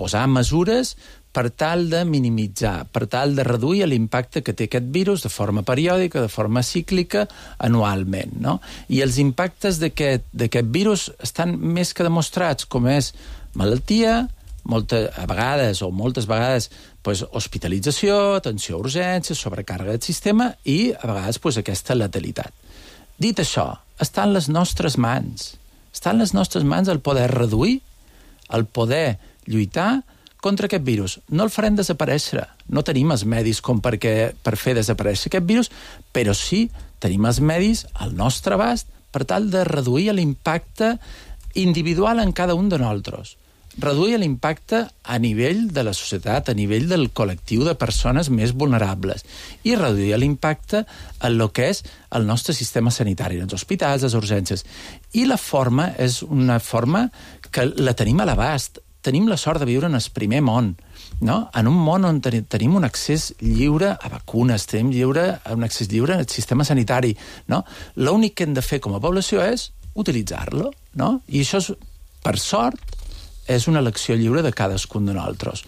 posar mesures per tal de minimitzar, per tal de reduir l'impacte que té aquest virus de forma periòdica, de forma cíclica, anualment, no? I els impactes d'aquest virus estan més que demostrats, com és malaltia, moltes, a vegades o moltes vegades pues, hospitalització, atenció a urgències, sobrecàrrega del sistema i a vegades pues, aquesta letalitat. Dit això, està en les nostres mans. Està en les nostres mans el poder reduir, el poder lluitar contra aquest virus. No el farem desaparèixer. No tenim els medis com perquè, per fer desaparèixer aquest virus, però sí tenim els medis al nostre abast per tal de reduir l'impacte individual en cada un de nosaltres. Reduir l'impacte a nivell de la societat, a nivell del col·lectiu de persones més vulnerables i reduir l'impacte en el que és el nostre sistema sanitari, els hospitals, les urgències. I la forma és una forma que la tenim a l'abast. Tenim la sort de viure en el primer món, no? En un món on tenim un accés lliure a vacunes, tenim lliure, un accés lliure al sistema sanitari, no? L'únic que hem de fer com a població és utilitzar-lo, no? I això, és, per sort, és una elecció lliure de cadascun de nosaltres.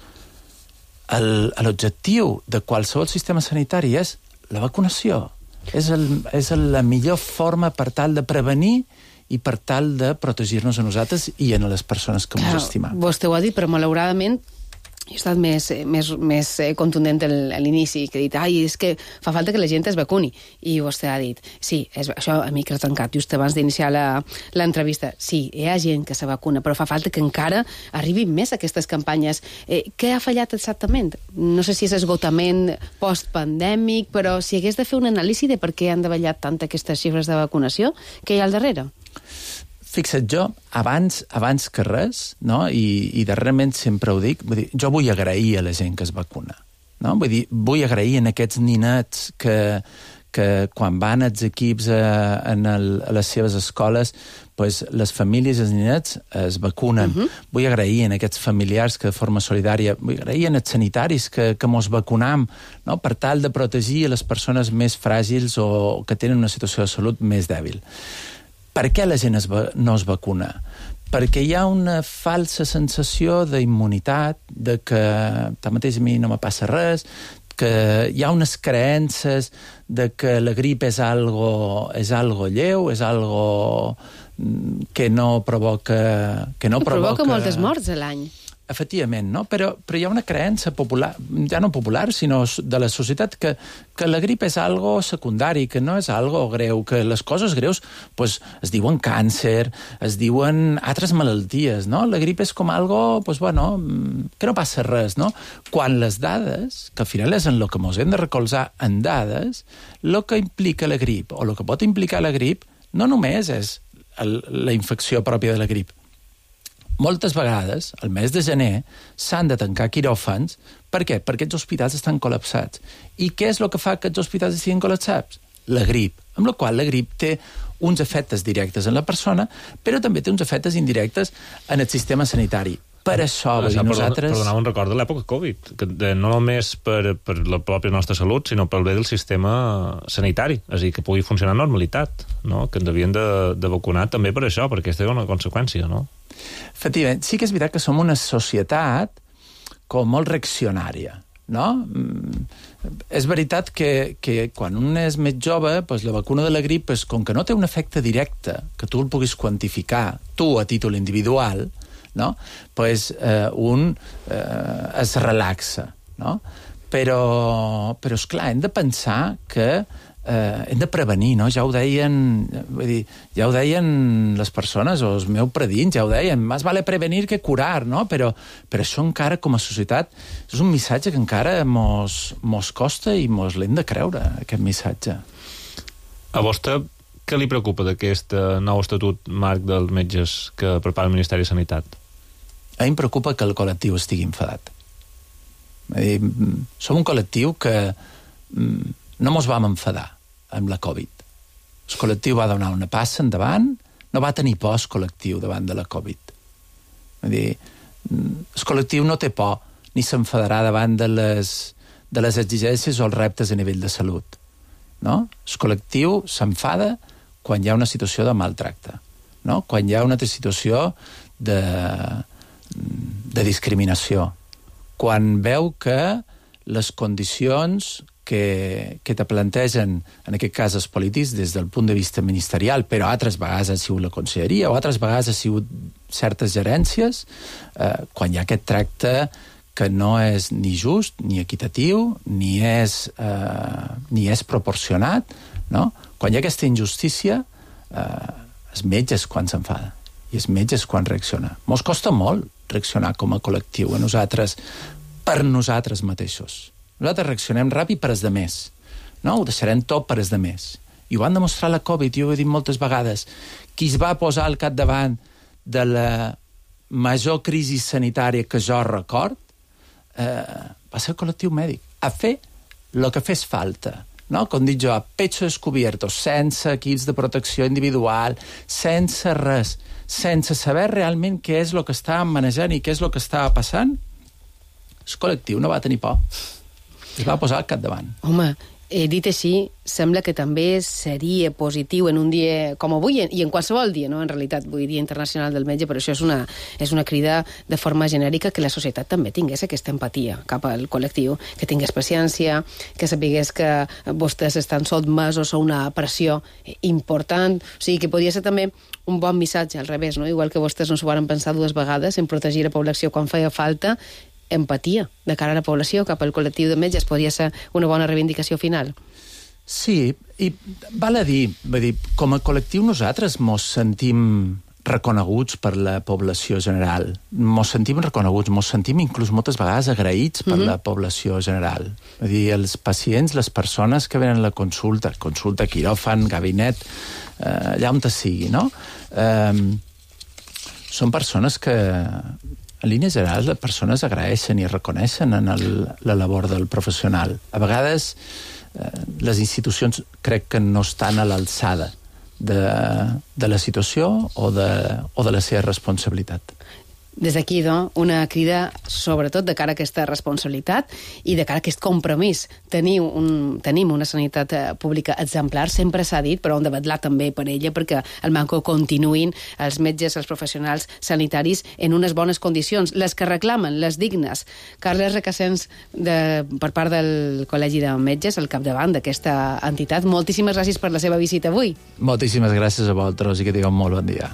L'objectiu de qualsevol sistema sanitari és la vacunació. És, el, és la millor forma per tal de prevenir i per tal de protegir-nos a nosaltres i a les persones que ens estimem. Vostè ho ha dit, però malauradament he estat més, més, més contundent a l'inici, que he dit, ai, és que fa falta que la gent es vacuni. I vostè ha dit, sí, és, això a micro tancat, just abans d'iniciar l'entrevista, sí, hi ha gent que se vacuna, però fa falta que encara arribin més aquestes campanyes. Eh, què ha fallat exactament? No sé si és esgotament post-pandèmic, però si hagués de fer una anàlisi de per què han davallat tant aquestes xifres de vacunació, què hi ha al darrere? Fixa't, jo, abans, abans que res, no? I, i darrerament sempre ho dic, vull dir, jo vull agrair a la gent que es vacuna. No? Vull dir, vull agrair a aquests ninets que, que quan van els equips a, en el, a les seves escoles, pues, les famílies i els ninets es vacunen. Uh-huh. Vull agrair a aquests familiars que de forma solidària, vull agrair a els sanitaris que, que mos vacunam, no? Per tal de protegir a les persones més fràgils o que tenen una situació de salut més dèbil. Per què la gent es va, no es vacuna? Perquè hi ha una falsa sensació d'immunitat, de que tanmateix a mi no me passa res, que hi ha unes creences de que la grip és algo, és algo lleu, és algo que no provoca... Que no provoca, provoca moltes morts a l'any. Efectivament, no? Però, però hi ha una creença popular, ja no popular, sinó de la societat, que, que la grip és algo secundari, que no és algo greu, que les coses greus pues, es diuen càncer, es diuen altres malalties, no? La grip és com algo, pues, bueno, que no passa res, no? Quan les dades, que al final és en el que ens hem de recolzar en dades, el que implica la grip, o el que pot implicar la grip, no només és el, la infecció pròpia de la grip. Moltes vegades, al mes de gener, s'han de tancar quiròfans. Per què? Perquè els hospitals estan col·lapsats. I què és el que fa que els hospitals estiguin col·lapsats? La grip. Amb la qual la grip té uns efectes directes en la persona, però també té uns efectes indirectes en el sistema sanitari. Per això, això dir, nosaltres... Per donar un record de l'època Covid, que de, no només per, per la pròpia nostra salut, sinó pel bé del sistema sanitari, és a dir, que pugui funcionar amb normalitat, no? Que ens havien de, de vacunar també per això, perquè aquesta és una conseqüència, no? Efectivament, sí que és veritat que som una societat com molt reaccionària, no? Mm, és veritat que, que quan un és més jove, pues, la vacuna de la grip, pues, com que no té un efecte directe que tu el puguis quantificar, tu a títol individual, no? Pues, eh, un eh, es relaxa, no? Però, però esclar, hem de pensar que eh, hem de prevenir, no? Ja ho deien, vull dir, ja ho deien les persones, o els meus predins, ja ho deien, més vale prevenir que curar, no? Però, però això encara, com a societat, és un missatge que encara mos, mos costa i mos l'hem de creure, aquest missatge. A vostè, què li preocupa d'aquest nou estatut marc dels metges que prepara el Ministeri de Sanitat? A mi em preocupa que el col·lectiu estigui enfadat. Dir, som un col·lectiu que no mos vam enfadar amb la Covid. El col·lectiu va donar una passa endavant, no va tenir por el col·lectiu davant de la Covid. Vull dir, el col·lectiu no té por ni s'enfadarà davant de les, de les exigències o els reptes a nivell de salut. No? El col·lectiu s'enfada quan hi ha una situació de maltracte, no? Quan hi ha una situació de, de discriminació, quan veu que les condicions que, que te plantegen, en aquest cas els polítics, des del punt de vista ministerial, però altres vegades ha sigut la conselleria o altres vegades ha sigut certes gerències, eh, quan hi ha aquest tracte que no és ni just, ni equitatiu, ni és, eh, ni és proporcionat, no? Quan hi ha aquesta injustícia, eh, els metges quan s'enfada i els metges quan reacciona. Mos costa molt reaccionar com a col·lectiu, a nosaltres, per nosaltres mateixos. Nosaltres reaccionem ràpid per als demés, no? Ho deixarem tot per als demés. I ho van demostrar la Covid, jo ho he dit moltes vegades. Qui es va posar al capdavant de la major crisi sanitària que jo record eh, va ser el col·lectiu mèdic, a fer el que fes falta, no? Com dic jo, a pecho descubierto, sense equips de protecció individual, sense res, sense saber realment què és el que estàvem manejant i què és el que estava passant. El col·lectiu no va tenir por. Es va posar al capdavant. Home, eh, dit així, sembla que també seria positiu en un dia com avui, i en qualsevol dia, no? En realitat, vull dir Dia Internacional del Metge, però això és una, és una crida de forma genèrica que la societat també tingués aquesta empatia cap al col·lectiu, que tingués paciència, que sapigués que vostès estan sotmesos a una pressió important, o sigui, que podia ser també un bon missatge al revés, no? Igual que vostès no s'ho van pensar dues vegades en protegir la població quan feia falta, empatia de cara a la població, cap al col·lectiu de metges. Podria ser una bona reivindicació final. Sí, i val a dir, vull dir, com a col·lectiu nosaltres mos sentim reconeguts per la població general. Mos sentim reconeguts, mos sentim inclús moltes vegades agraïts per mm-hmm. la població general. Vull dir, els pacients, les persones que venen a la consulta, consulta, quiròfan, gabinet, eh, allà on te sigui, no? Eh, són persones que, en línia general, les persones agraeixen i reconeixen en el, la labor del professional. A vegades, eh, les institucions crec que no estan a l'alçada de, de la situació o de, o de la seva responsabilitat. Des d'aquí, doncs, una crida sobretot de cara a aquesta responsabilitat i de cara a aquest compromís. Teniu un, tenim una sanitat pública exemplar, sempre s'ha dit, però hem de vetllar també per ella perquè el manco continuïn els metges, els professionals sanitaris en unes bones condicions, les que reclamen, les dignes. Carles Requesens, de, per part del Col·legi de Metges, al capdavant d'aquesta entitat, moltíssimes gràcies per la seva visita avui. Moltíssimes gràcies a vosaltres i que tingueu un molt bon dia.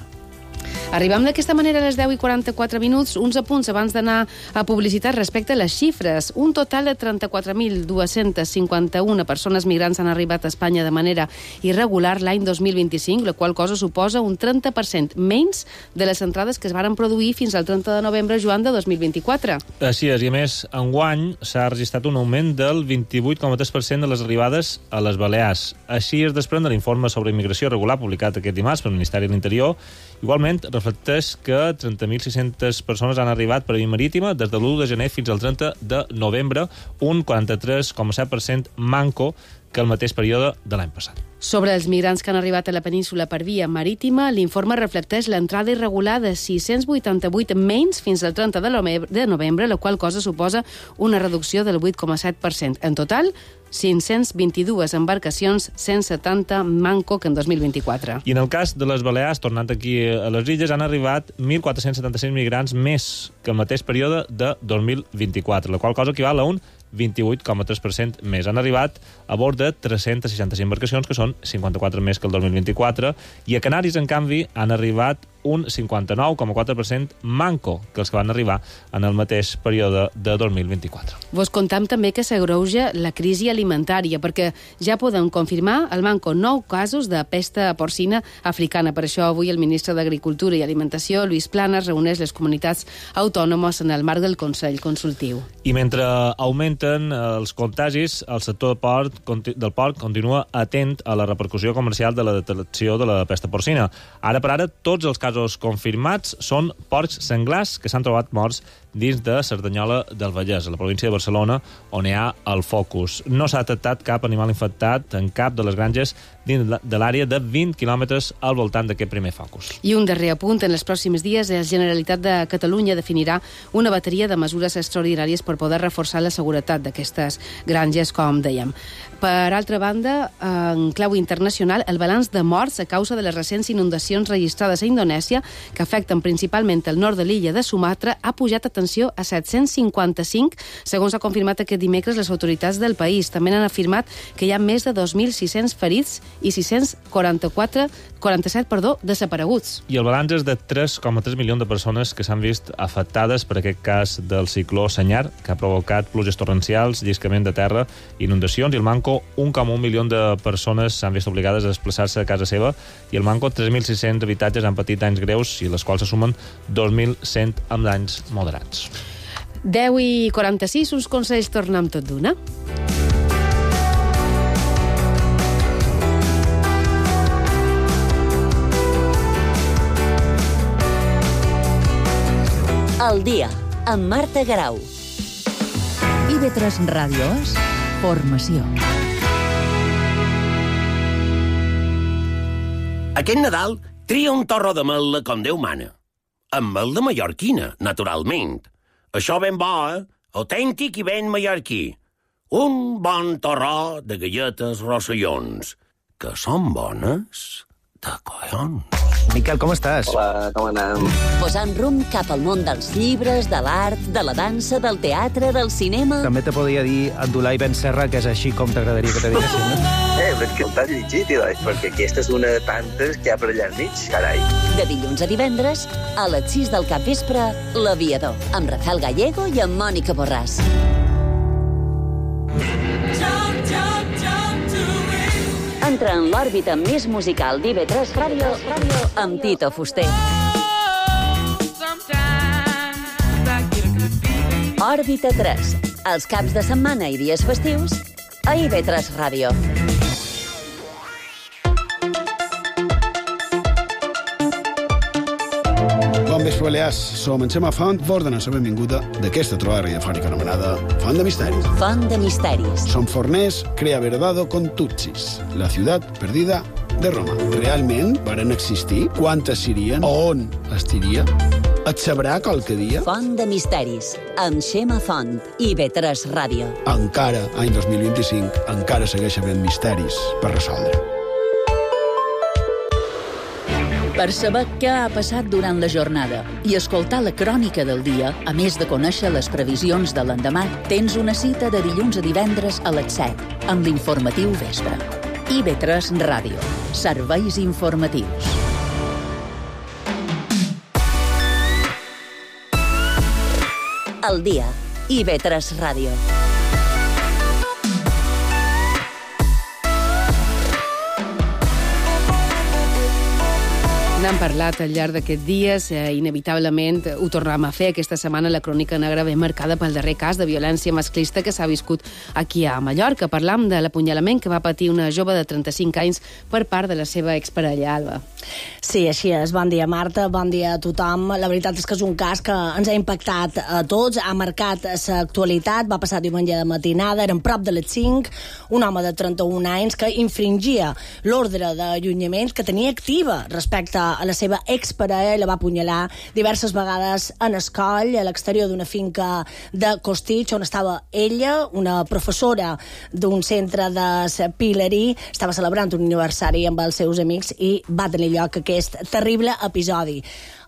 Arribam d'aquesta manera a les deu i quaranta-quatre minuts, uns apunts abans d'anar a publicitat respecte a les xifres. Un total de trenta-quatre mil dos-cents cinquanta-una persones migrants han arribat a Espanya de manera irregular l'any dos mil vint-i-cinc, la qual cosa suposa un trenta per cent menys de les entrades que es varen produir fins al trenta de novembre, Joan, de dos mil vint-i-quatre. Així és, i a més, enguany s'ha registrat un augment del vint-i-vuit coma tres per cent de les arribades a les Balears. Així es desprèn de l'informe sobre immigració regular publicat aquest dimarts pel Ministeri de l'Interior. Igualment, reflecteix que trenta mil sis-centes persones han arribat per via marítima des de l'u de gener fins al trenta de novembre, un quaranta-tres coma set per cent manco que el mateix període de l'any passat. Sobre els migrants que han arribat a la península per via marítima, l'informe reflecteix l'entrada irregular de sis-cents vuitanta-vuit menys fins al trenta de novembre, la qual cosa suposa una reducció del vuit coma set per cent. En total, cinc-cents vint-i-dues embarcacions, cent setanta manco que en dos mil vint-i-quatre. I en el cas de les Balears, tornant aquí a les illes, han arribat mil quatre-cents setanta-sis migrants més que el mateix període de dos mil vint-i-quatre, la qual cosa equival a un vint-i-vuit coma tres per cent més. Han arribat a bord de tres-cents seixanta-cinc embarcacions, que són cinquanta-quatre més que el dos mil vint-i-quatre, i a Canaris, en canvi, han arribat un cinquanta-nou coma quatre per cent manco que els que van arribar en el mateix període de dos mil vint-i-quatre. Vos contam també que s'agreuja la crisi alimentària, perquè ja podem confirmar al manco nou casos de pesta porcina africana. Per això avui el ministre d'Agricultura i Alimentació, Lluís Planas, reuneix les comunitats autònomes en el marc del Consell Consultiu. I mentre augmenten els contagis, el sector del porc, del porc continua atent a la repercussió comercial de la detecció de la pesta porcina. Ara per ara, tots els casos confirmats són porcs senglars que s'han trobat morts dins de Cerdanyola del Vallès, a la província de Barcelona, on hi ha el focus. No s'ha detectat cap animal infectat en cap de les granges dins de l'àrea de vint quilòmetres al voltant d'aquest primer focus. I un darrer apunt, en els pròxims dies la Generalitat de Catalunya definirà una bateria de mesures extraordinàries per poder reforçar la seguretat d'aquestes granges, com dèiem. Per altra banda, en clau internacional, el balanç de morts a causa de les recents inundacions registrades a Indonèsia, que afecten principalment el nord de l'illa de Sumatra, ha pujat, atenció, a set-cents cinquanta-cinc, segons ha confirmat aquest dimecres les autoritats del país. També han afirmat que hi ha més de dos mil sis-cents ferits i sis-cents quaranta-quatre, quaranta-set perdó, desapareguts. I el balanç és de tres coma tres milions de persones que s'han vist afectades per aquest cas del cicló Senyar, que ha provocat pluges torrencials, lliscament de terra, inundacions, i el manco un coma un milió de persones s'han vist obligades a desplaçar-se a casa seva, i el manco tres mil sis-cents habitatges han patit danys greus, i les quals se sumen dos mil cent amb danys moderats. deu i quaranta-sis, uns consells tornem tot d'una. El dia, amb Marta Garau. I ve tres Ràdio és formació. Aquest Nadal tria un torró de mel com Déu mana. Amb mel de mallorquina, naturalment. Això ben bo, eh? Autèntic i ben mallorquí. Un bon torró de galletes rossellons, que són bones de collons. Miquel, com estàs? Hola, com anem? Posant rumb cap al món dels llibres, de l'art, de la dansa, del teatre, del cinema... També te podria dir Abdulai Ben Serra, que és així com t'agradaria que te diguessin, no? Eh, però és que està dirigit, perquè aquesta és una de tantes que hi ha per allà al mig, carai. De dilluns a divendres, a les sis del capvespre, L'Aviador, amb Rafael Gallego i amb Mònica Borràs. Entra en l'òrbita més musical d'I V tres Ràdio amb Tito Fuster. Òrbita tres, els caps de setmana i dies festius a I V tres Ràdio. Bon vespre, Balears. Som en Xema Font, vos donem la benvinguda d'aquesta trobada radiofònica anomenada Font de Misteris. Font de Misteris. Som forners, crea verdado con Tutsis, la ciutat perdida de Roma. Realment varen existir? Quantes serien? On estiria? Et sabrà qualque dia? Font de Misteris, amb Xema Font, I V tres Ràdio. Encara, any dos mil vint-i-cinc, encara segueix havent misteris per resoldre. Per saber què ha passat durant la jornada i escoltar la crònica del dia, a més de conèixer les previsions de l'endemà, tens una cita de dilluns a divendres a les set, amb l'informatiu Vespre. I V tres Ràdio. Serveis informatius. El dia. I V tres Ràdio. N'hem parlat al llarg d'aquests dies, eh, inevitablement ho tornem a fer. Aquesta setmana la crònica negra ve marcada pel darrer cas de violència masclista que s'ha viscut aquí a Mallorca. Parlam de l'apunyalament que va patir una jove de trenta-cinc anys per part de la seva exparella, Alba. Sí, així és. Bon dia, Marta. Bon dia a tothom. La veritat és que és un cas que ens ha impactat a tots, ha marcat l'actualitat, va passar diumenge de matinada, eren prop de les cinc, un home de trenta-un anys que infringia l'ordre d'allunyament que tenia activa respecte a la seva exparella, la va apunyalar diverses vegades en escoll, a l'exterior d'una finca de Costitx, on estava ella, una professora d'un centre de Pilerí, estava celebrant un aniversari amb els seus amics i va tenir lloc aquest terrible episodi.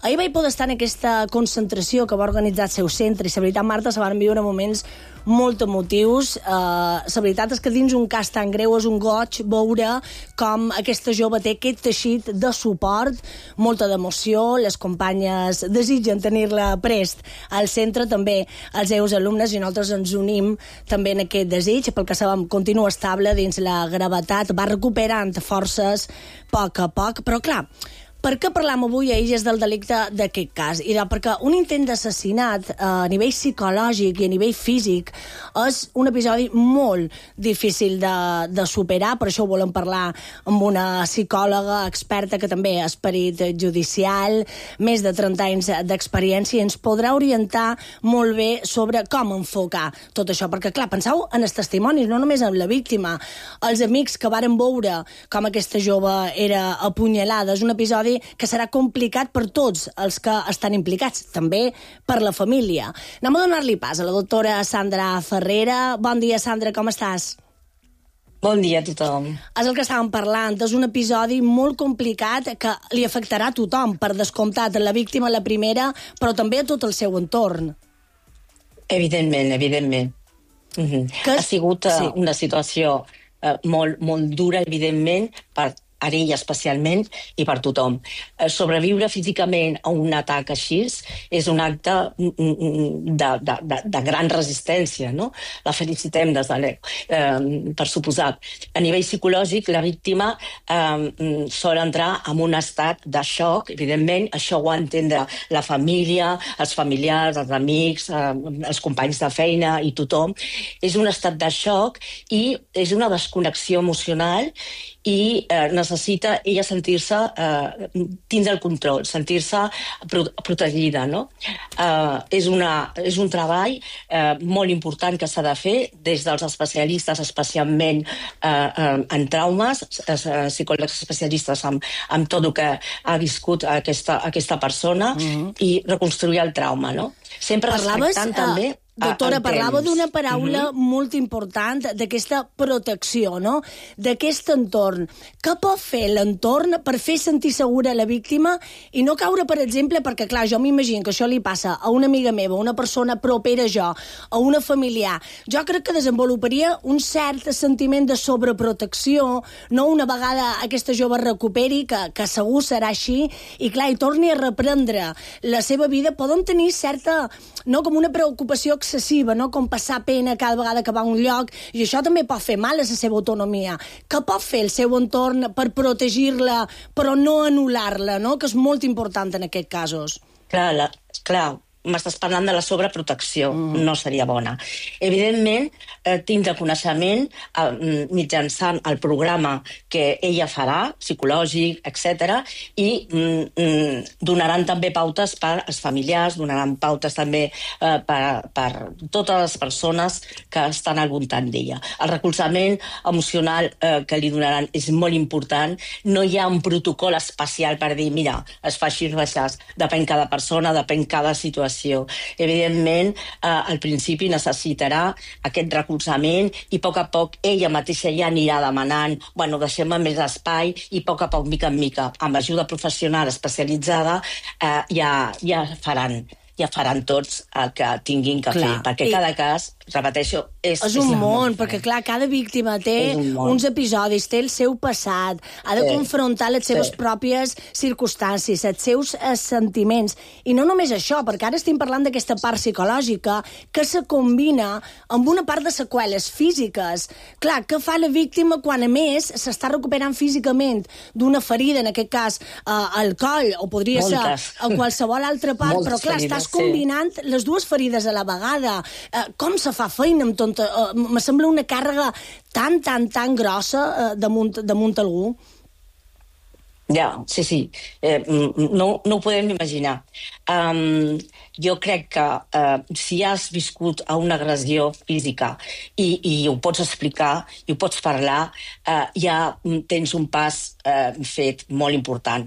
Ahir vaig poder estar en aquesta concentració que va organitzar el seu centre i la veritat, Marta, se van viure moments molt emotius. Uh, la veritat és que dins un cas tan greu és un goig veure com aquesta jove té aquest teixit de suport, molta d'emoció, les companyes desitgen tenir-la prest al centre, també els seus alumnes, i nosaltres ens unim també en aquest desig, pel que sabem continua estable dins la gravetat, va recuperant forces a poc a poc, però clar, per què parlam avui a Illes del delicte d'aquest cas? I perquè un intent d'assassinat a nivell psicològic i a nivell físic és un episodi molt difícil de, de superar, per això ho volem parlar amb una psicòloga experta que també és perit judicial, més de trenta anys d'experiència, i ens podrà orientar molt bé sobre com enfocar tot això, perquè clar, penseu en els testimonis, no només en la víctima, els amics que varen veure com aquesta jove era apunyalada, és un episodi que serà complicat per tots els que estan implicats, també per la família. Anem a donar-li pas a la doctora Sandra Ferrera. Bon dia, Sandra, com estàs? Bon dia a tothom. És el que estàvem parlant, és un episodi molt complicat que li afectarà a tothom, per descomptat, a la víctima, la primera, però també a tot el seu entorn. Evidentment, evidentment. Mm-hmm. Que... Ha sigut uh, sí. una situació uh, molt, molt dura, evidentment, per a ella especialment i per tothom. Sobreviure físicament a un atac així és un acte de, de, de, de gran resistència, no? La felicitem des de l'E U, eh, per suposat. A nivell psicològic, la víctima eh, sol entrar en un estat de xoc, evidentment, això ho ha d'entendre la família, els familiars, els amics, eh, els companys de feina i tothom. És un estat de xoc i és una desconnexió emocional i eh, necessita ella sentir-se eh, dins del control, sentir-se pro protegida, no? Eh, és, una, és un treball eh, molt important que s'ha de fer des dels especialistes, especialment eh, eh, en traumes, eh, psicòlegs especialistes amb, amb tot el que ha viscut aquesta, aquesta persona, mm-hmm. i reconstruir el trauma, no? Sempre Parlaves, respectant uh, també... Doctora, parlava d'una paraula uh-huh. molt important, d'aquesta protecció, no? D'aquest entorn. Què pot fer l'entorn per fer sentir segura la víctima i no caure, per exemple, perquè, clar, jo m'imagino que això li passa a una amiga meva, a una persona propera a jo, a una familiar. Jo crec que desenvoluparia un cert sentiment de sobreprotecció, no una vegada aquesta jove recuperi, que, que segur serà així, i, clar, i torni a reprendre la seva vida, poden tenir certa, no, com una preocupació excessiva, no? Com passar pena cada vegada que va a un lloc, i això també pot fer mal a la seva autonomia. Què pot fer el seu entorn per protegir-la, però no anul·lar-la, no? Que és molt important en aquests casos. Clar, la, clar, m'estàs parlant de la sobreprotecció, mm. no seria bona. Evidentment, eh, tindre coneixement eh, mitjançant el programa que ella farà, psicològic, etcètera, i mm, mm, donaran també pautes per als familiars, donaran pautes també eh, per, per totes les persones que estan al voltant d'ella. El recolzament emocional eh, que li donaran és molt important. No hi ha un protocol especial per dir, mira, es fa així o així. Depèn cada persona, depèn cada situació. Evidentment, eh, al principi necessitarà aquest recolzament i a poc a poc ella mateixa ja anirà demanant, bueno, deixem-me més espai, i a poc a poc, mica en mica, amb ajuda professional especialitzada, eh, ja, ja faran ja faran tots el que tinguin que clar. fer, perquè cada cas, repeteixo, és... És un és món, perquè clar, cada víctima té un uns episodis, té el seu passat, ha de sí. confrontar les seves sí. pròpies circumstàncies, els seus eh, sentiments, i no només això, perquè ara estem parlant d'aquesta part psicològica que se combina amb una part de seqüeles físiques. Clar, què fa la víctima quan, a més, s'està recuperant físicament d'una ferida, en aquest cas, eh, al coll, o podria Moltes. ser a qualsevol altra part, Moltes però clar, ferides. estàs combinant sí. les dues ferides a la vegada. Eh, com se fa feina amb tot... Eh, me sembla una càrrega tan, tan, tan grossa eh, damunt, damunt algú. Ja, sí, sí. Eh, no, no ho podem imaginar. Um, jo crec que uh, si has viscut a una agressió física i, i ho pots explicar, i ho pots parlar, uh, ja tens un pas uh, fet molt important.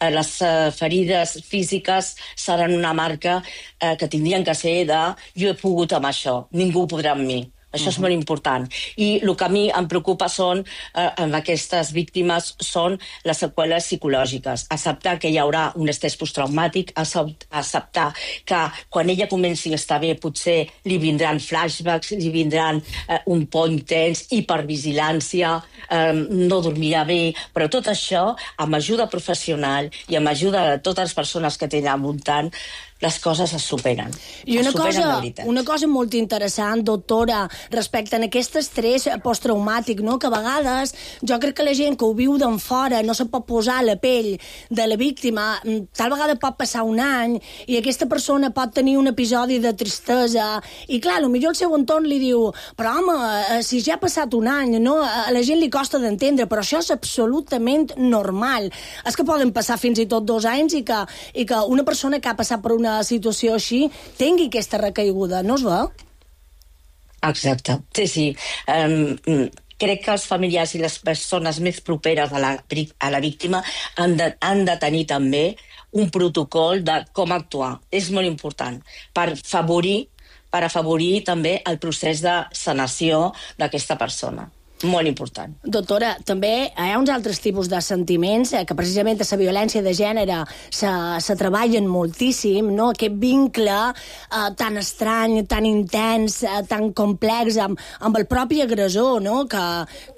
Les uh, ferides físiques seran una marca uh, que tindrien que ser de jo he pogut amb això, ningú podrà amb mi. Això uh-huh. és molt important. I el que a mi em preocupa són, eh, amb aquestes víctimes, són les seqüeles psicològiques. Acceptar que hi haurà un estrès posttraumàtic, acceptar que quan ella comenci a estar bé potser li vindran flashbacks, li vindran eh, un por intens, hipervigilància, eh, no dormirà bé, però tot això, amb ajuda professional i amb ajuda de totes les persones que tenen al voltant, les coses es superen. I una, es superen cosa, una cosa molt interessant, doctora, respecte a aquest estrès posttraumàtic, no? Que a vegades jo crec que la gent que ho viu d'en fora no se pot posar a la pell de la víctima, tal vegada pot passar un any i aquesta persona pot tenir un episodi de tristesa i clar, potser el seu entorn li diu però home, si ja ha passat un any, no? A la gent li costa d'entendre, però això és absolutament normal. És que poden passar fins i tot dos anys i que, i que una persona que ha passat per una situació així tingui aquesta recaiguda, no es veu? Exacte, sí, sí. Um, crec que els familiars i les persones més properes a la, a la víctima han de, han de tenir també un protocol de com actuar. És molt important per afavorir, per afavorir també el procés de sanació d'aquesta persona. Molt important. Doctora, també hi ha uns altres tipus de sentiments eh, que precisament a la violència de gènere se, se treballen moltíssim, no? Aquest vincle eh, tan estrany, tan intens, eh, tan complex amb, amb el propi agressor, no? Que,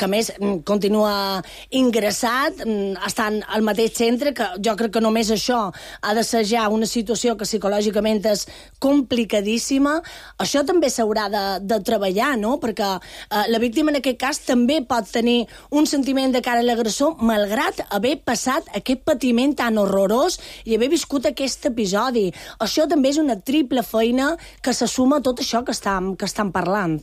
que a més continua ingressat, estan al mateix centre, que jo crec que només això ha de ser ja una situació que psicològicament és complicadíssima. Això també s'haurà de, de treballar, no? Perquè eh, la víctima en aquest cas també pot tenir un sentiment de cara a l'agressor malgrat haver passat aquest patiment tan horrorós i haver viscut aquest episodi. Això també és una triple feina que se suma a tot això que estem, que estem parlant.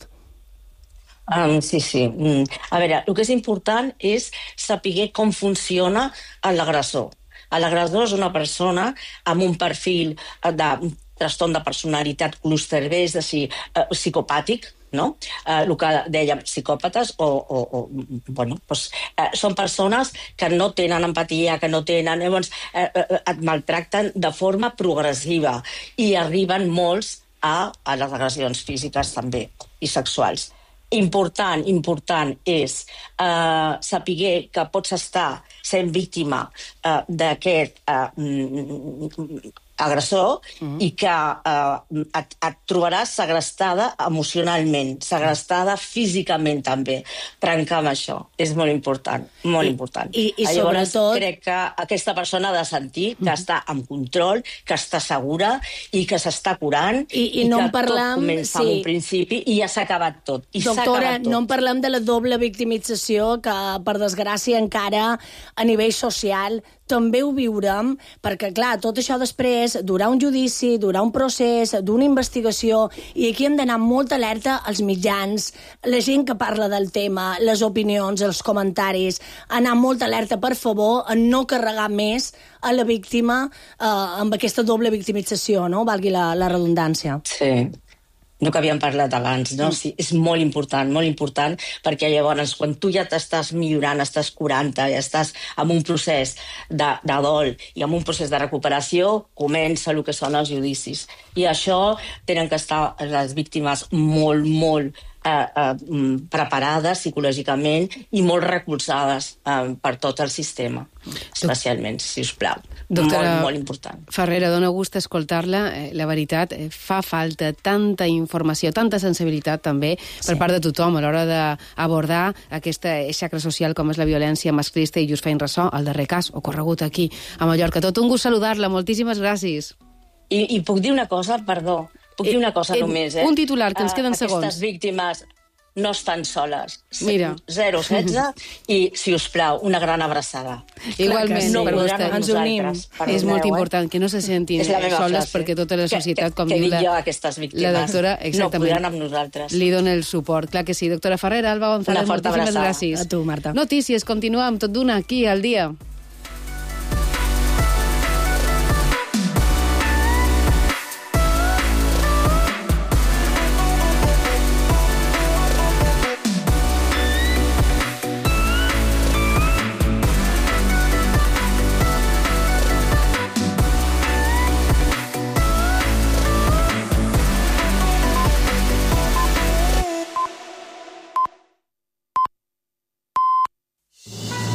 Um, sí, sí. Mm. A veure, el que és important és saber com funciona l'agressor. L'agressor és una persona amb un perfil de trastorn de personalitat clúster B, és a dir, uh, psicopàtic, no? Eh, el que dèiem, psicòpates o, o, o bueno, doncs, eh, són persones que no tenen empatia, que no tenen... Llavors, eh, eh, et maltracten de forma progressiva i arriben molts a, a les agressions físiques també i sexuals. Important, important és eh, saber que pots estar sent víctima eh, d'aquest eh, agressor mm. i que eh, et, et trobaràs segrestada emocionalment, segrestada físicament també. Trencar amb això és molt important, molt I, important. I, i Llavors, sobretot... crec que aquesta persona ha de sentir que mm. està en control, que està segura i que s'està curant i, i, i no que parlem, tot comença sí. en un principi i ja s'ha acabat tot. I Doctora, tot. no en parlem de la doble victimització que, per desgràcia, encara a nivell social també ho viurem, perquè, clar, tot això després durà un judici, durà un procés, d'una investigació, i aquí hem d'anar molt alerta als mitjans, la gent que parla del tema, les opinions, els comentaris, anar molt alerta, per favor, a no carregar més a la víctima eh, amb aquesta doble victimització, no? Valgui la, la redundància. Sí. No que havíem parlat abans, no? Sí, és molt important, molt important, perquè llavors, quan tu ja t'estàs millorant, estàs curant-te, ja estàs en un procés de, de dol i en un procés de recuperació, comença el que són els judicis. I això tenen que estar les víctimes molt, molt eh, eh, preparades psicològicament i molt recolzades eh, per tot el sistema, especialment, si us plau. Doctora molt, molt important. Ferrera, dona gust escoltar-la. La veritat, fa falta tanta informació, tanta sensibilitat també per sí. part de tothom a l'hora d'abordar aquesta xacra social com és la violència masclista, i just feien ressò al darrer cas ocorregut aquí a Mallorca. Tot un gust saludar-la. Moltíssimes gràcies. I, i puc dir una cosa, perdó, puc dir una cosa eh, només, eh? Un titular, que ens queden uh, segons. Aquestes víctimes no estan soles. Mira. zero setze i, si us plau, una gran abraçada. Igualment, no per vostè. Ens unim. És molt important que no se sentin soles, frase. Perquè tota la societat, com que, que diu la, jo, aquestes víctimes, la doctora, no podran amb nosaltres. Li dona el suport. Clar que sí. Doctora Ferrera, Alba González, moltíssimes gràcies. A tu, Marta. Notícies, continuem tot d'una aquí al dia.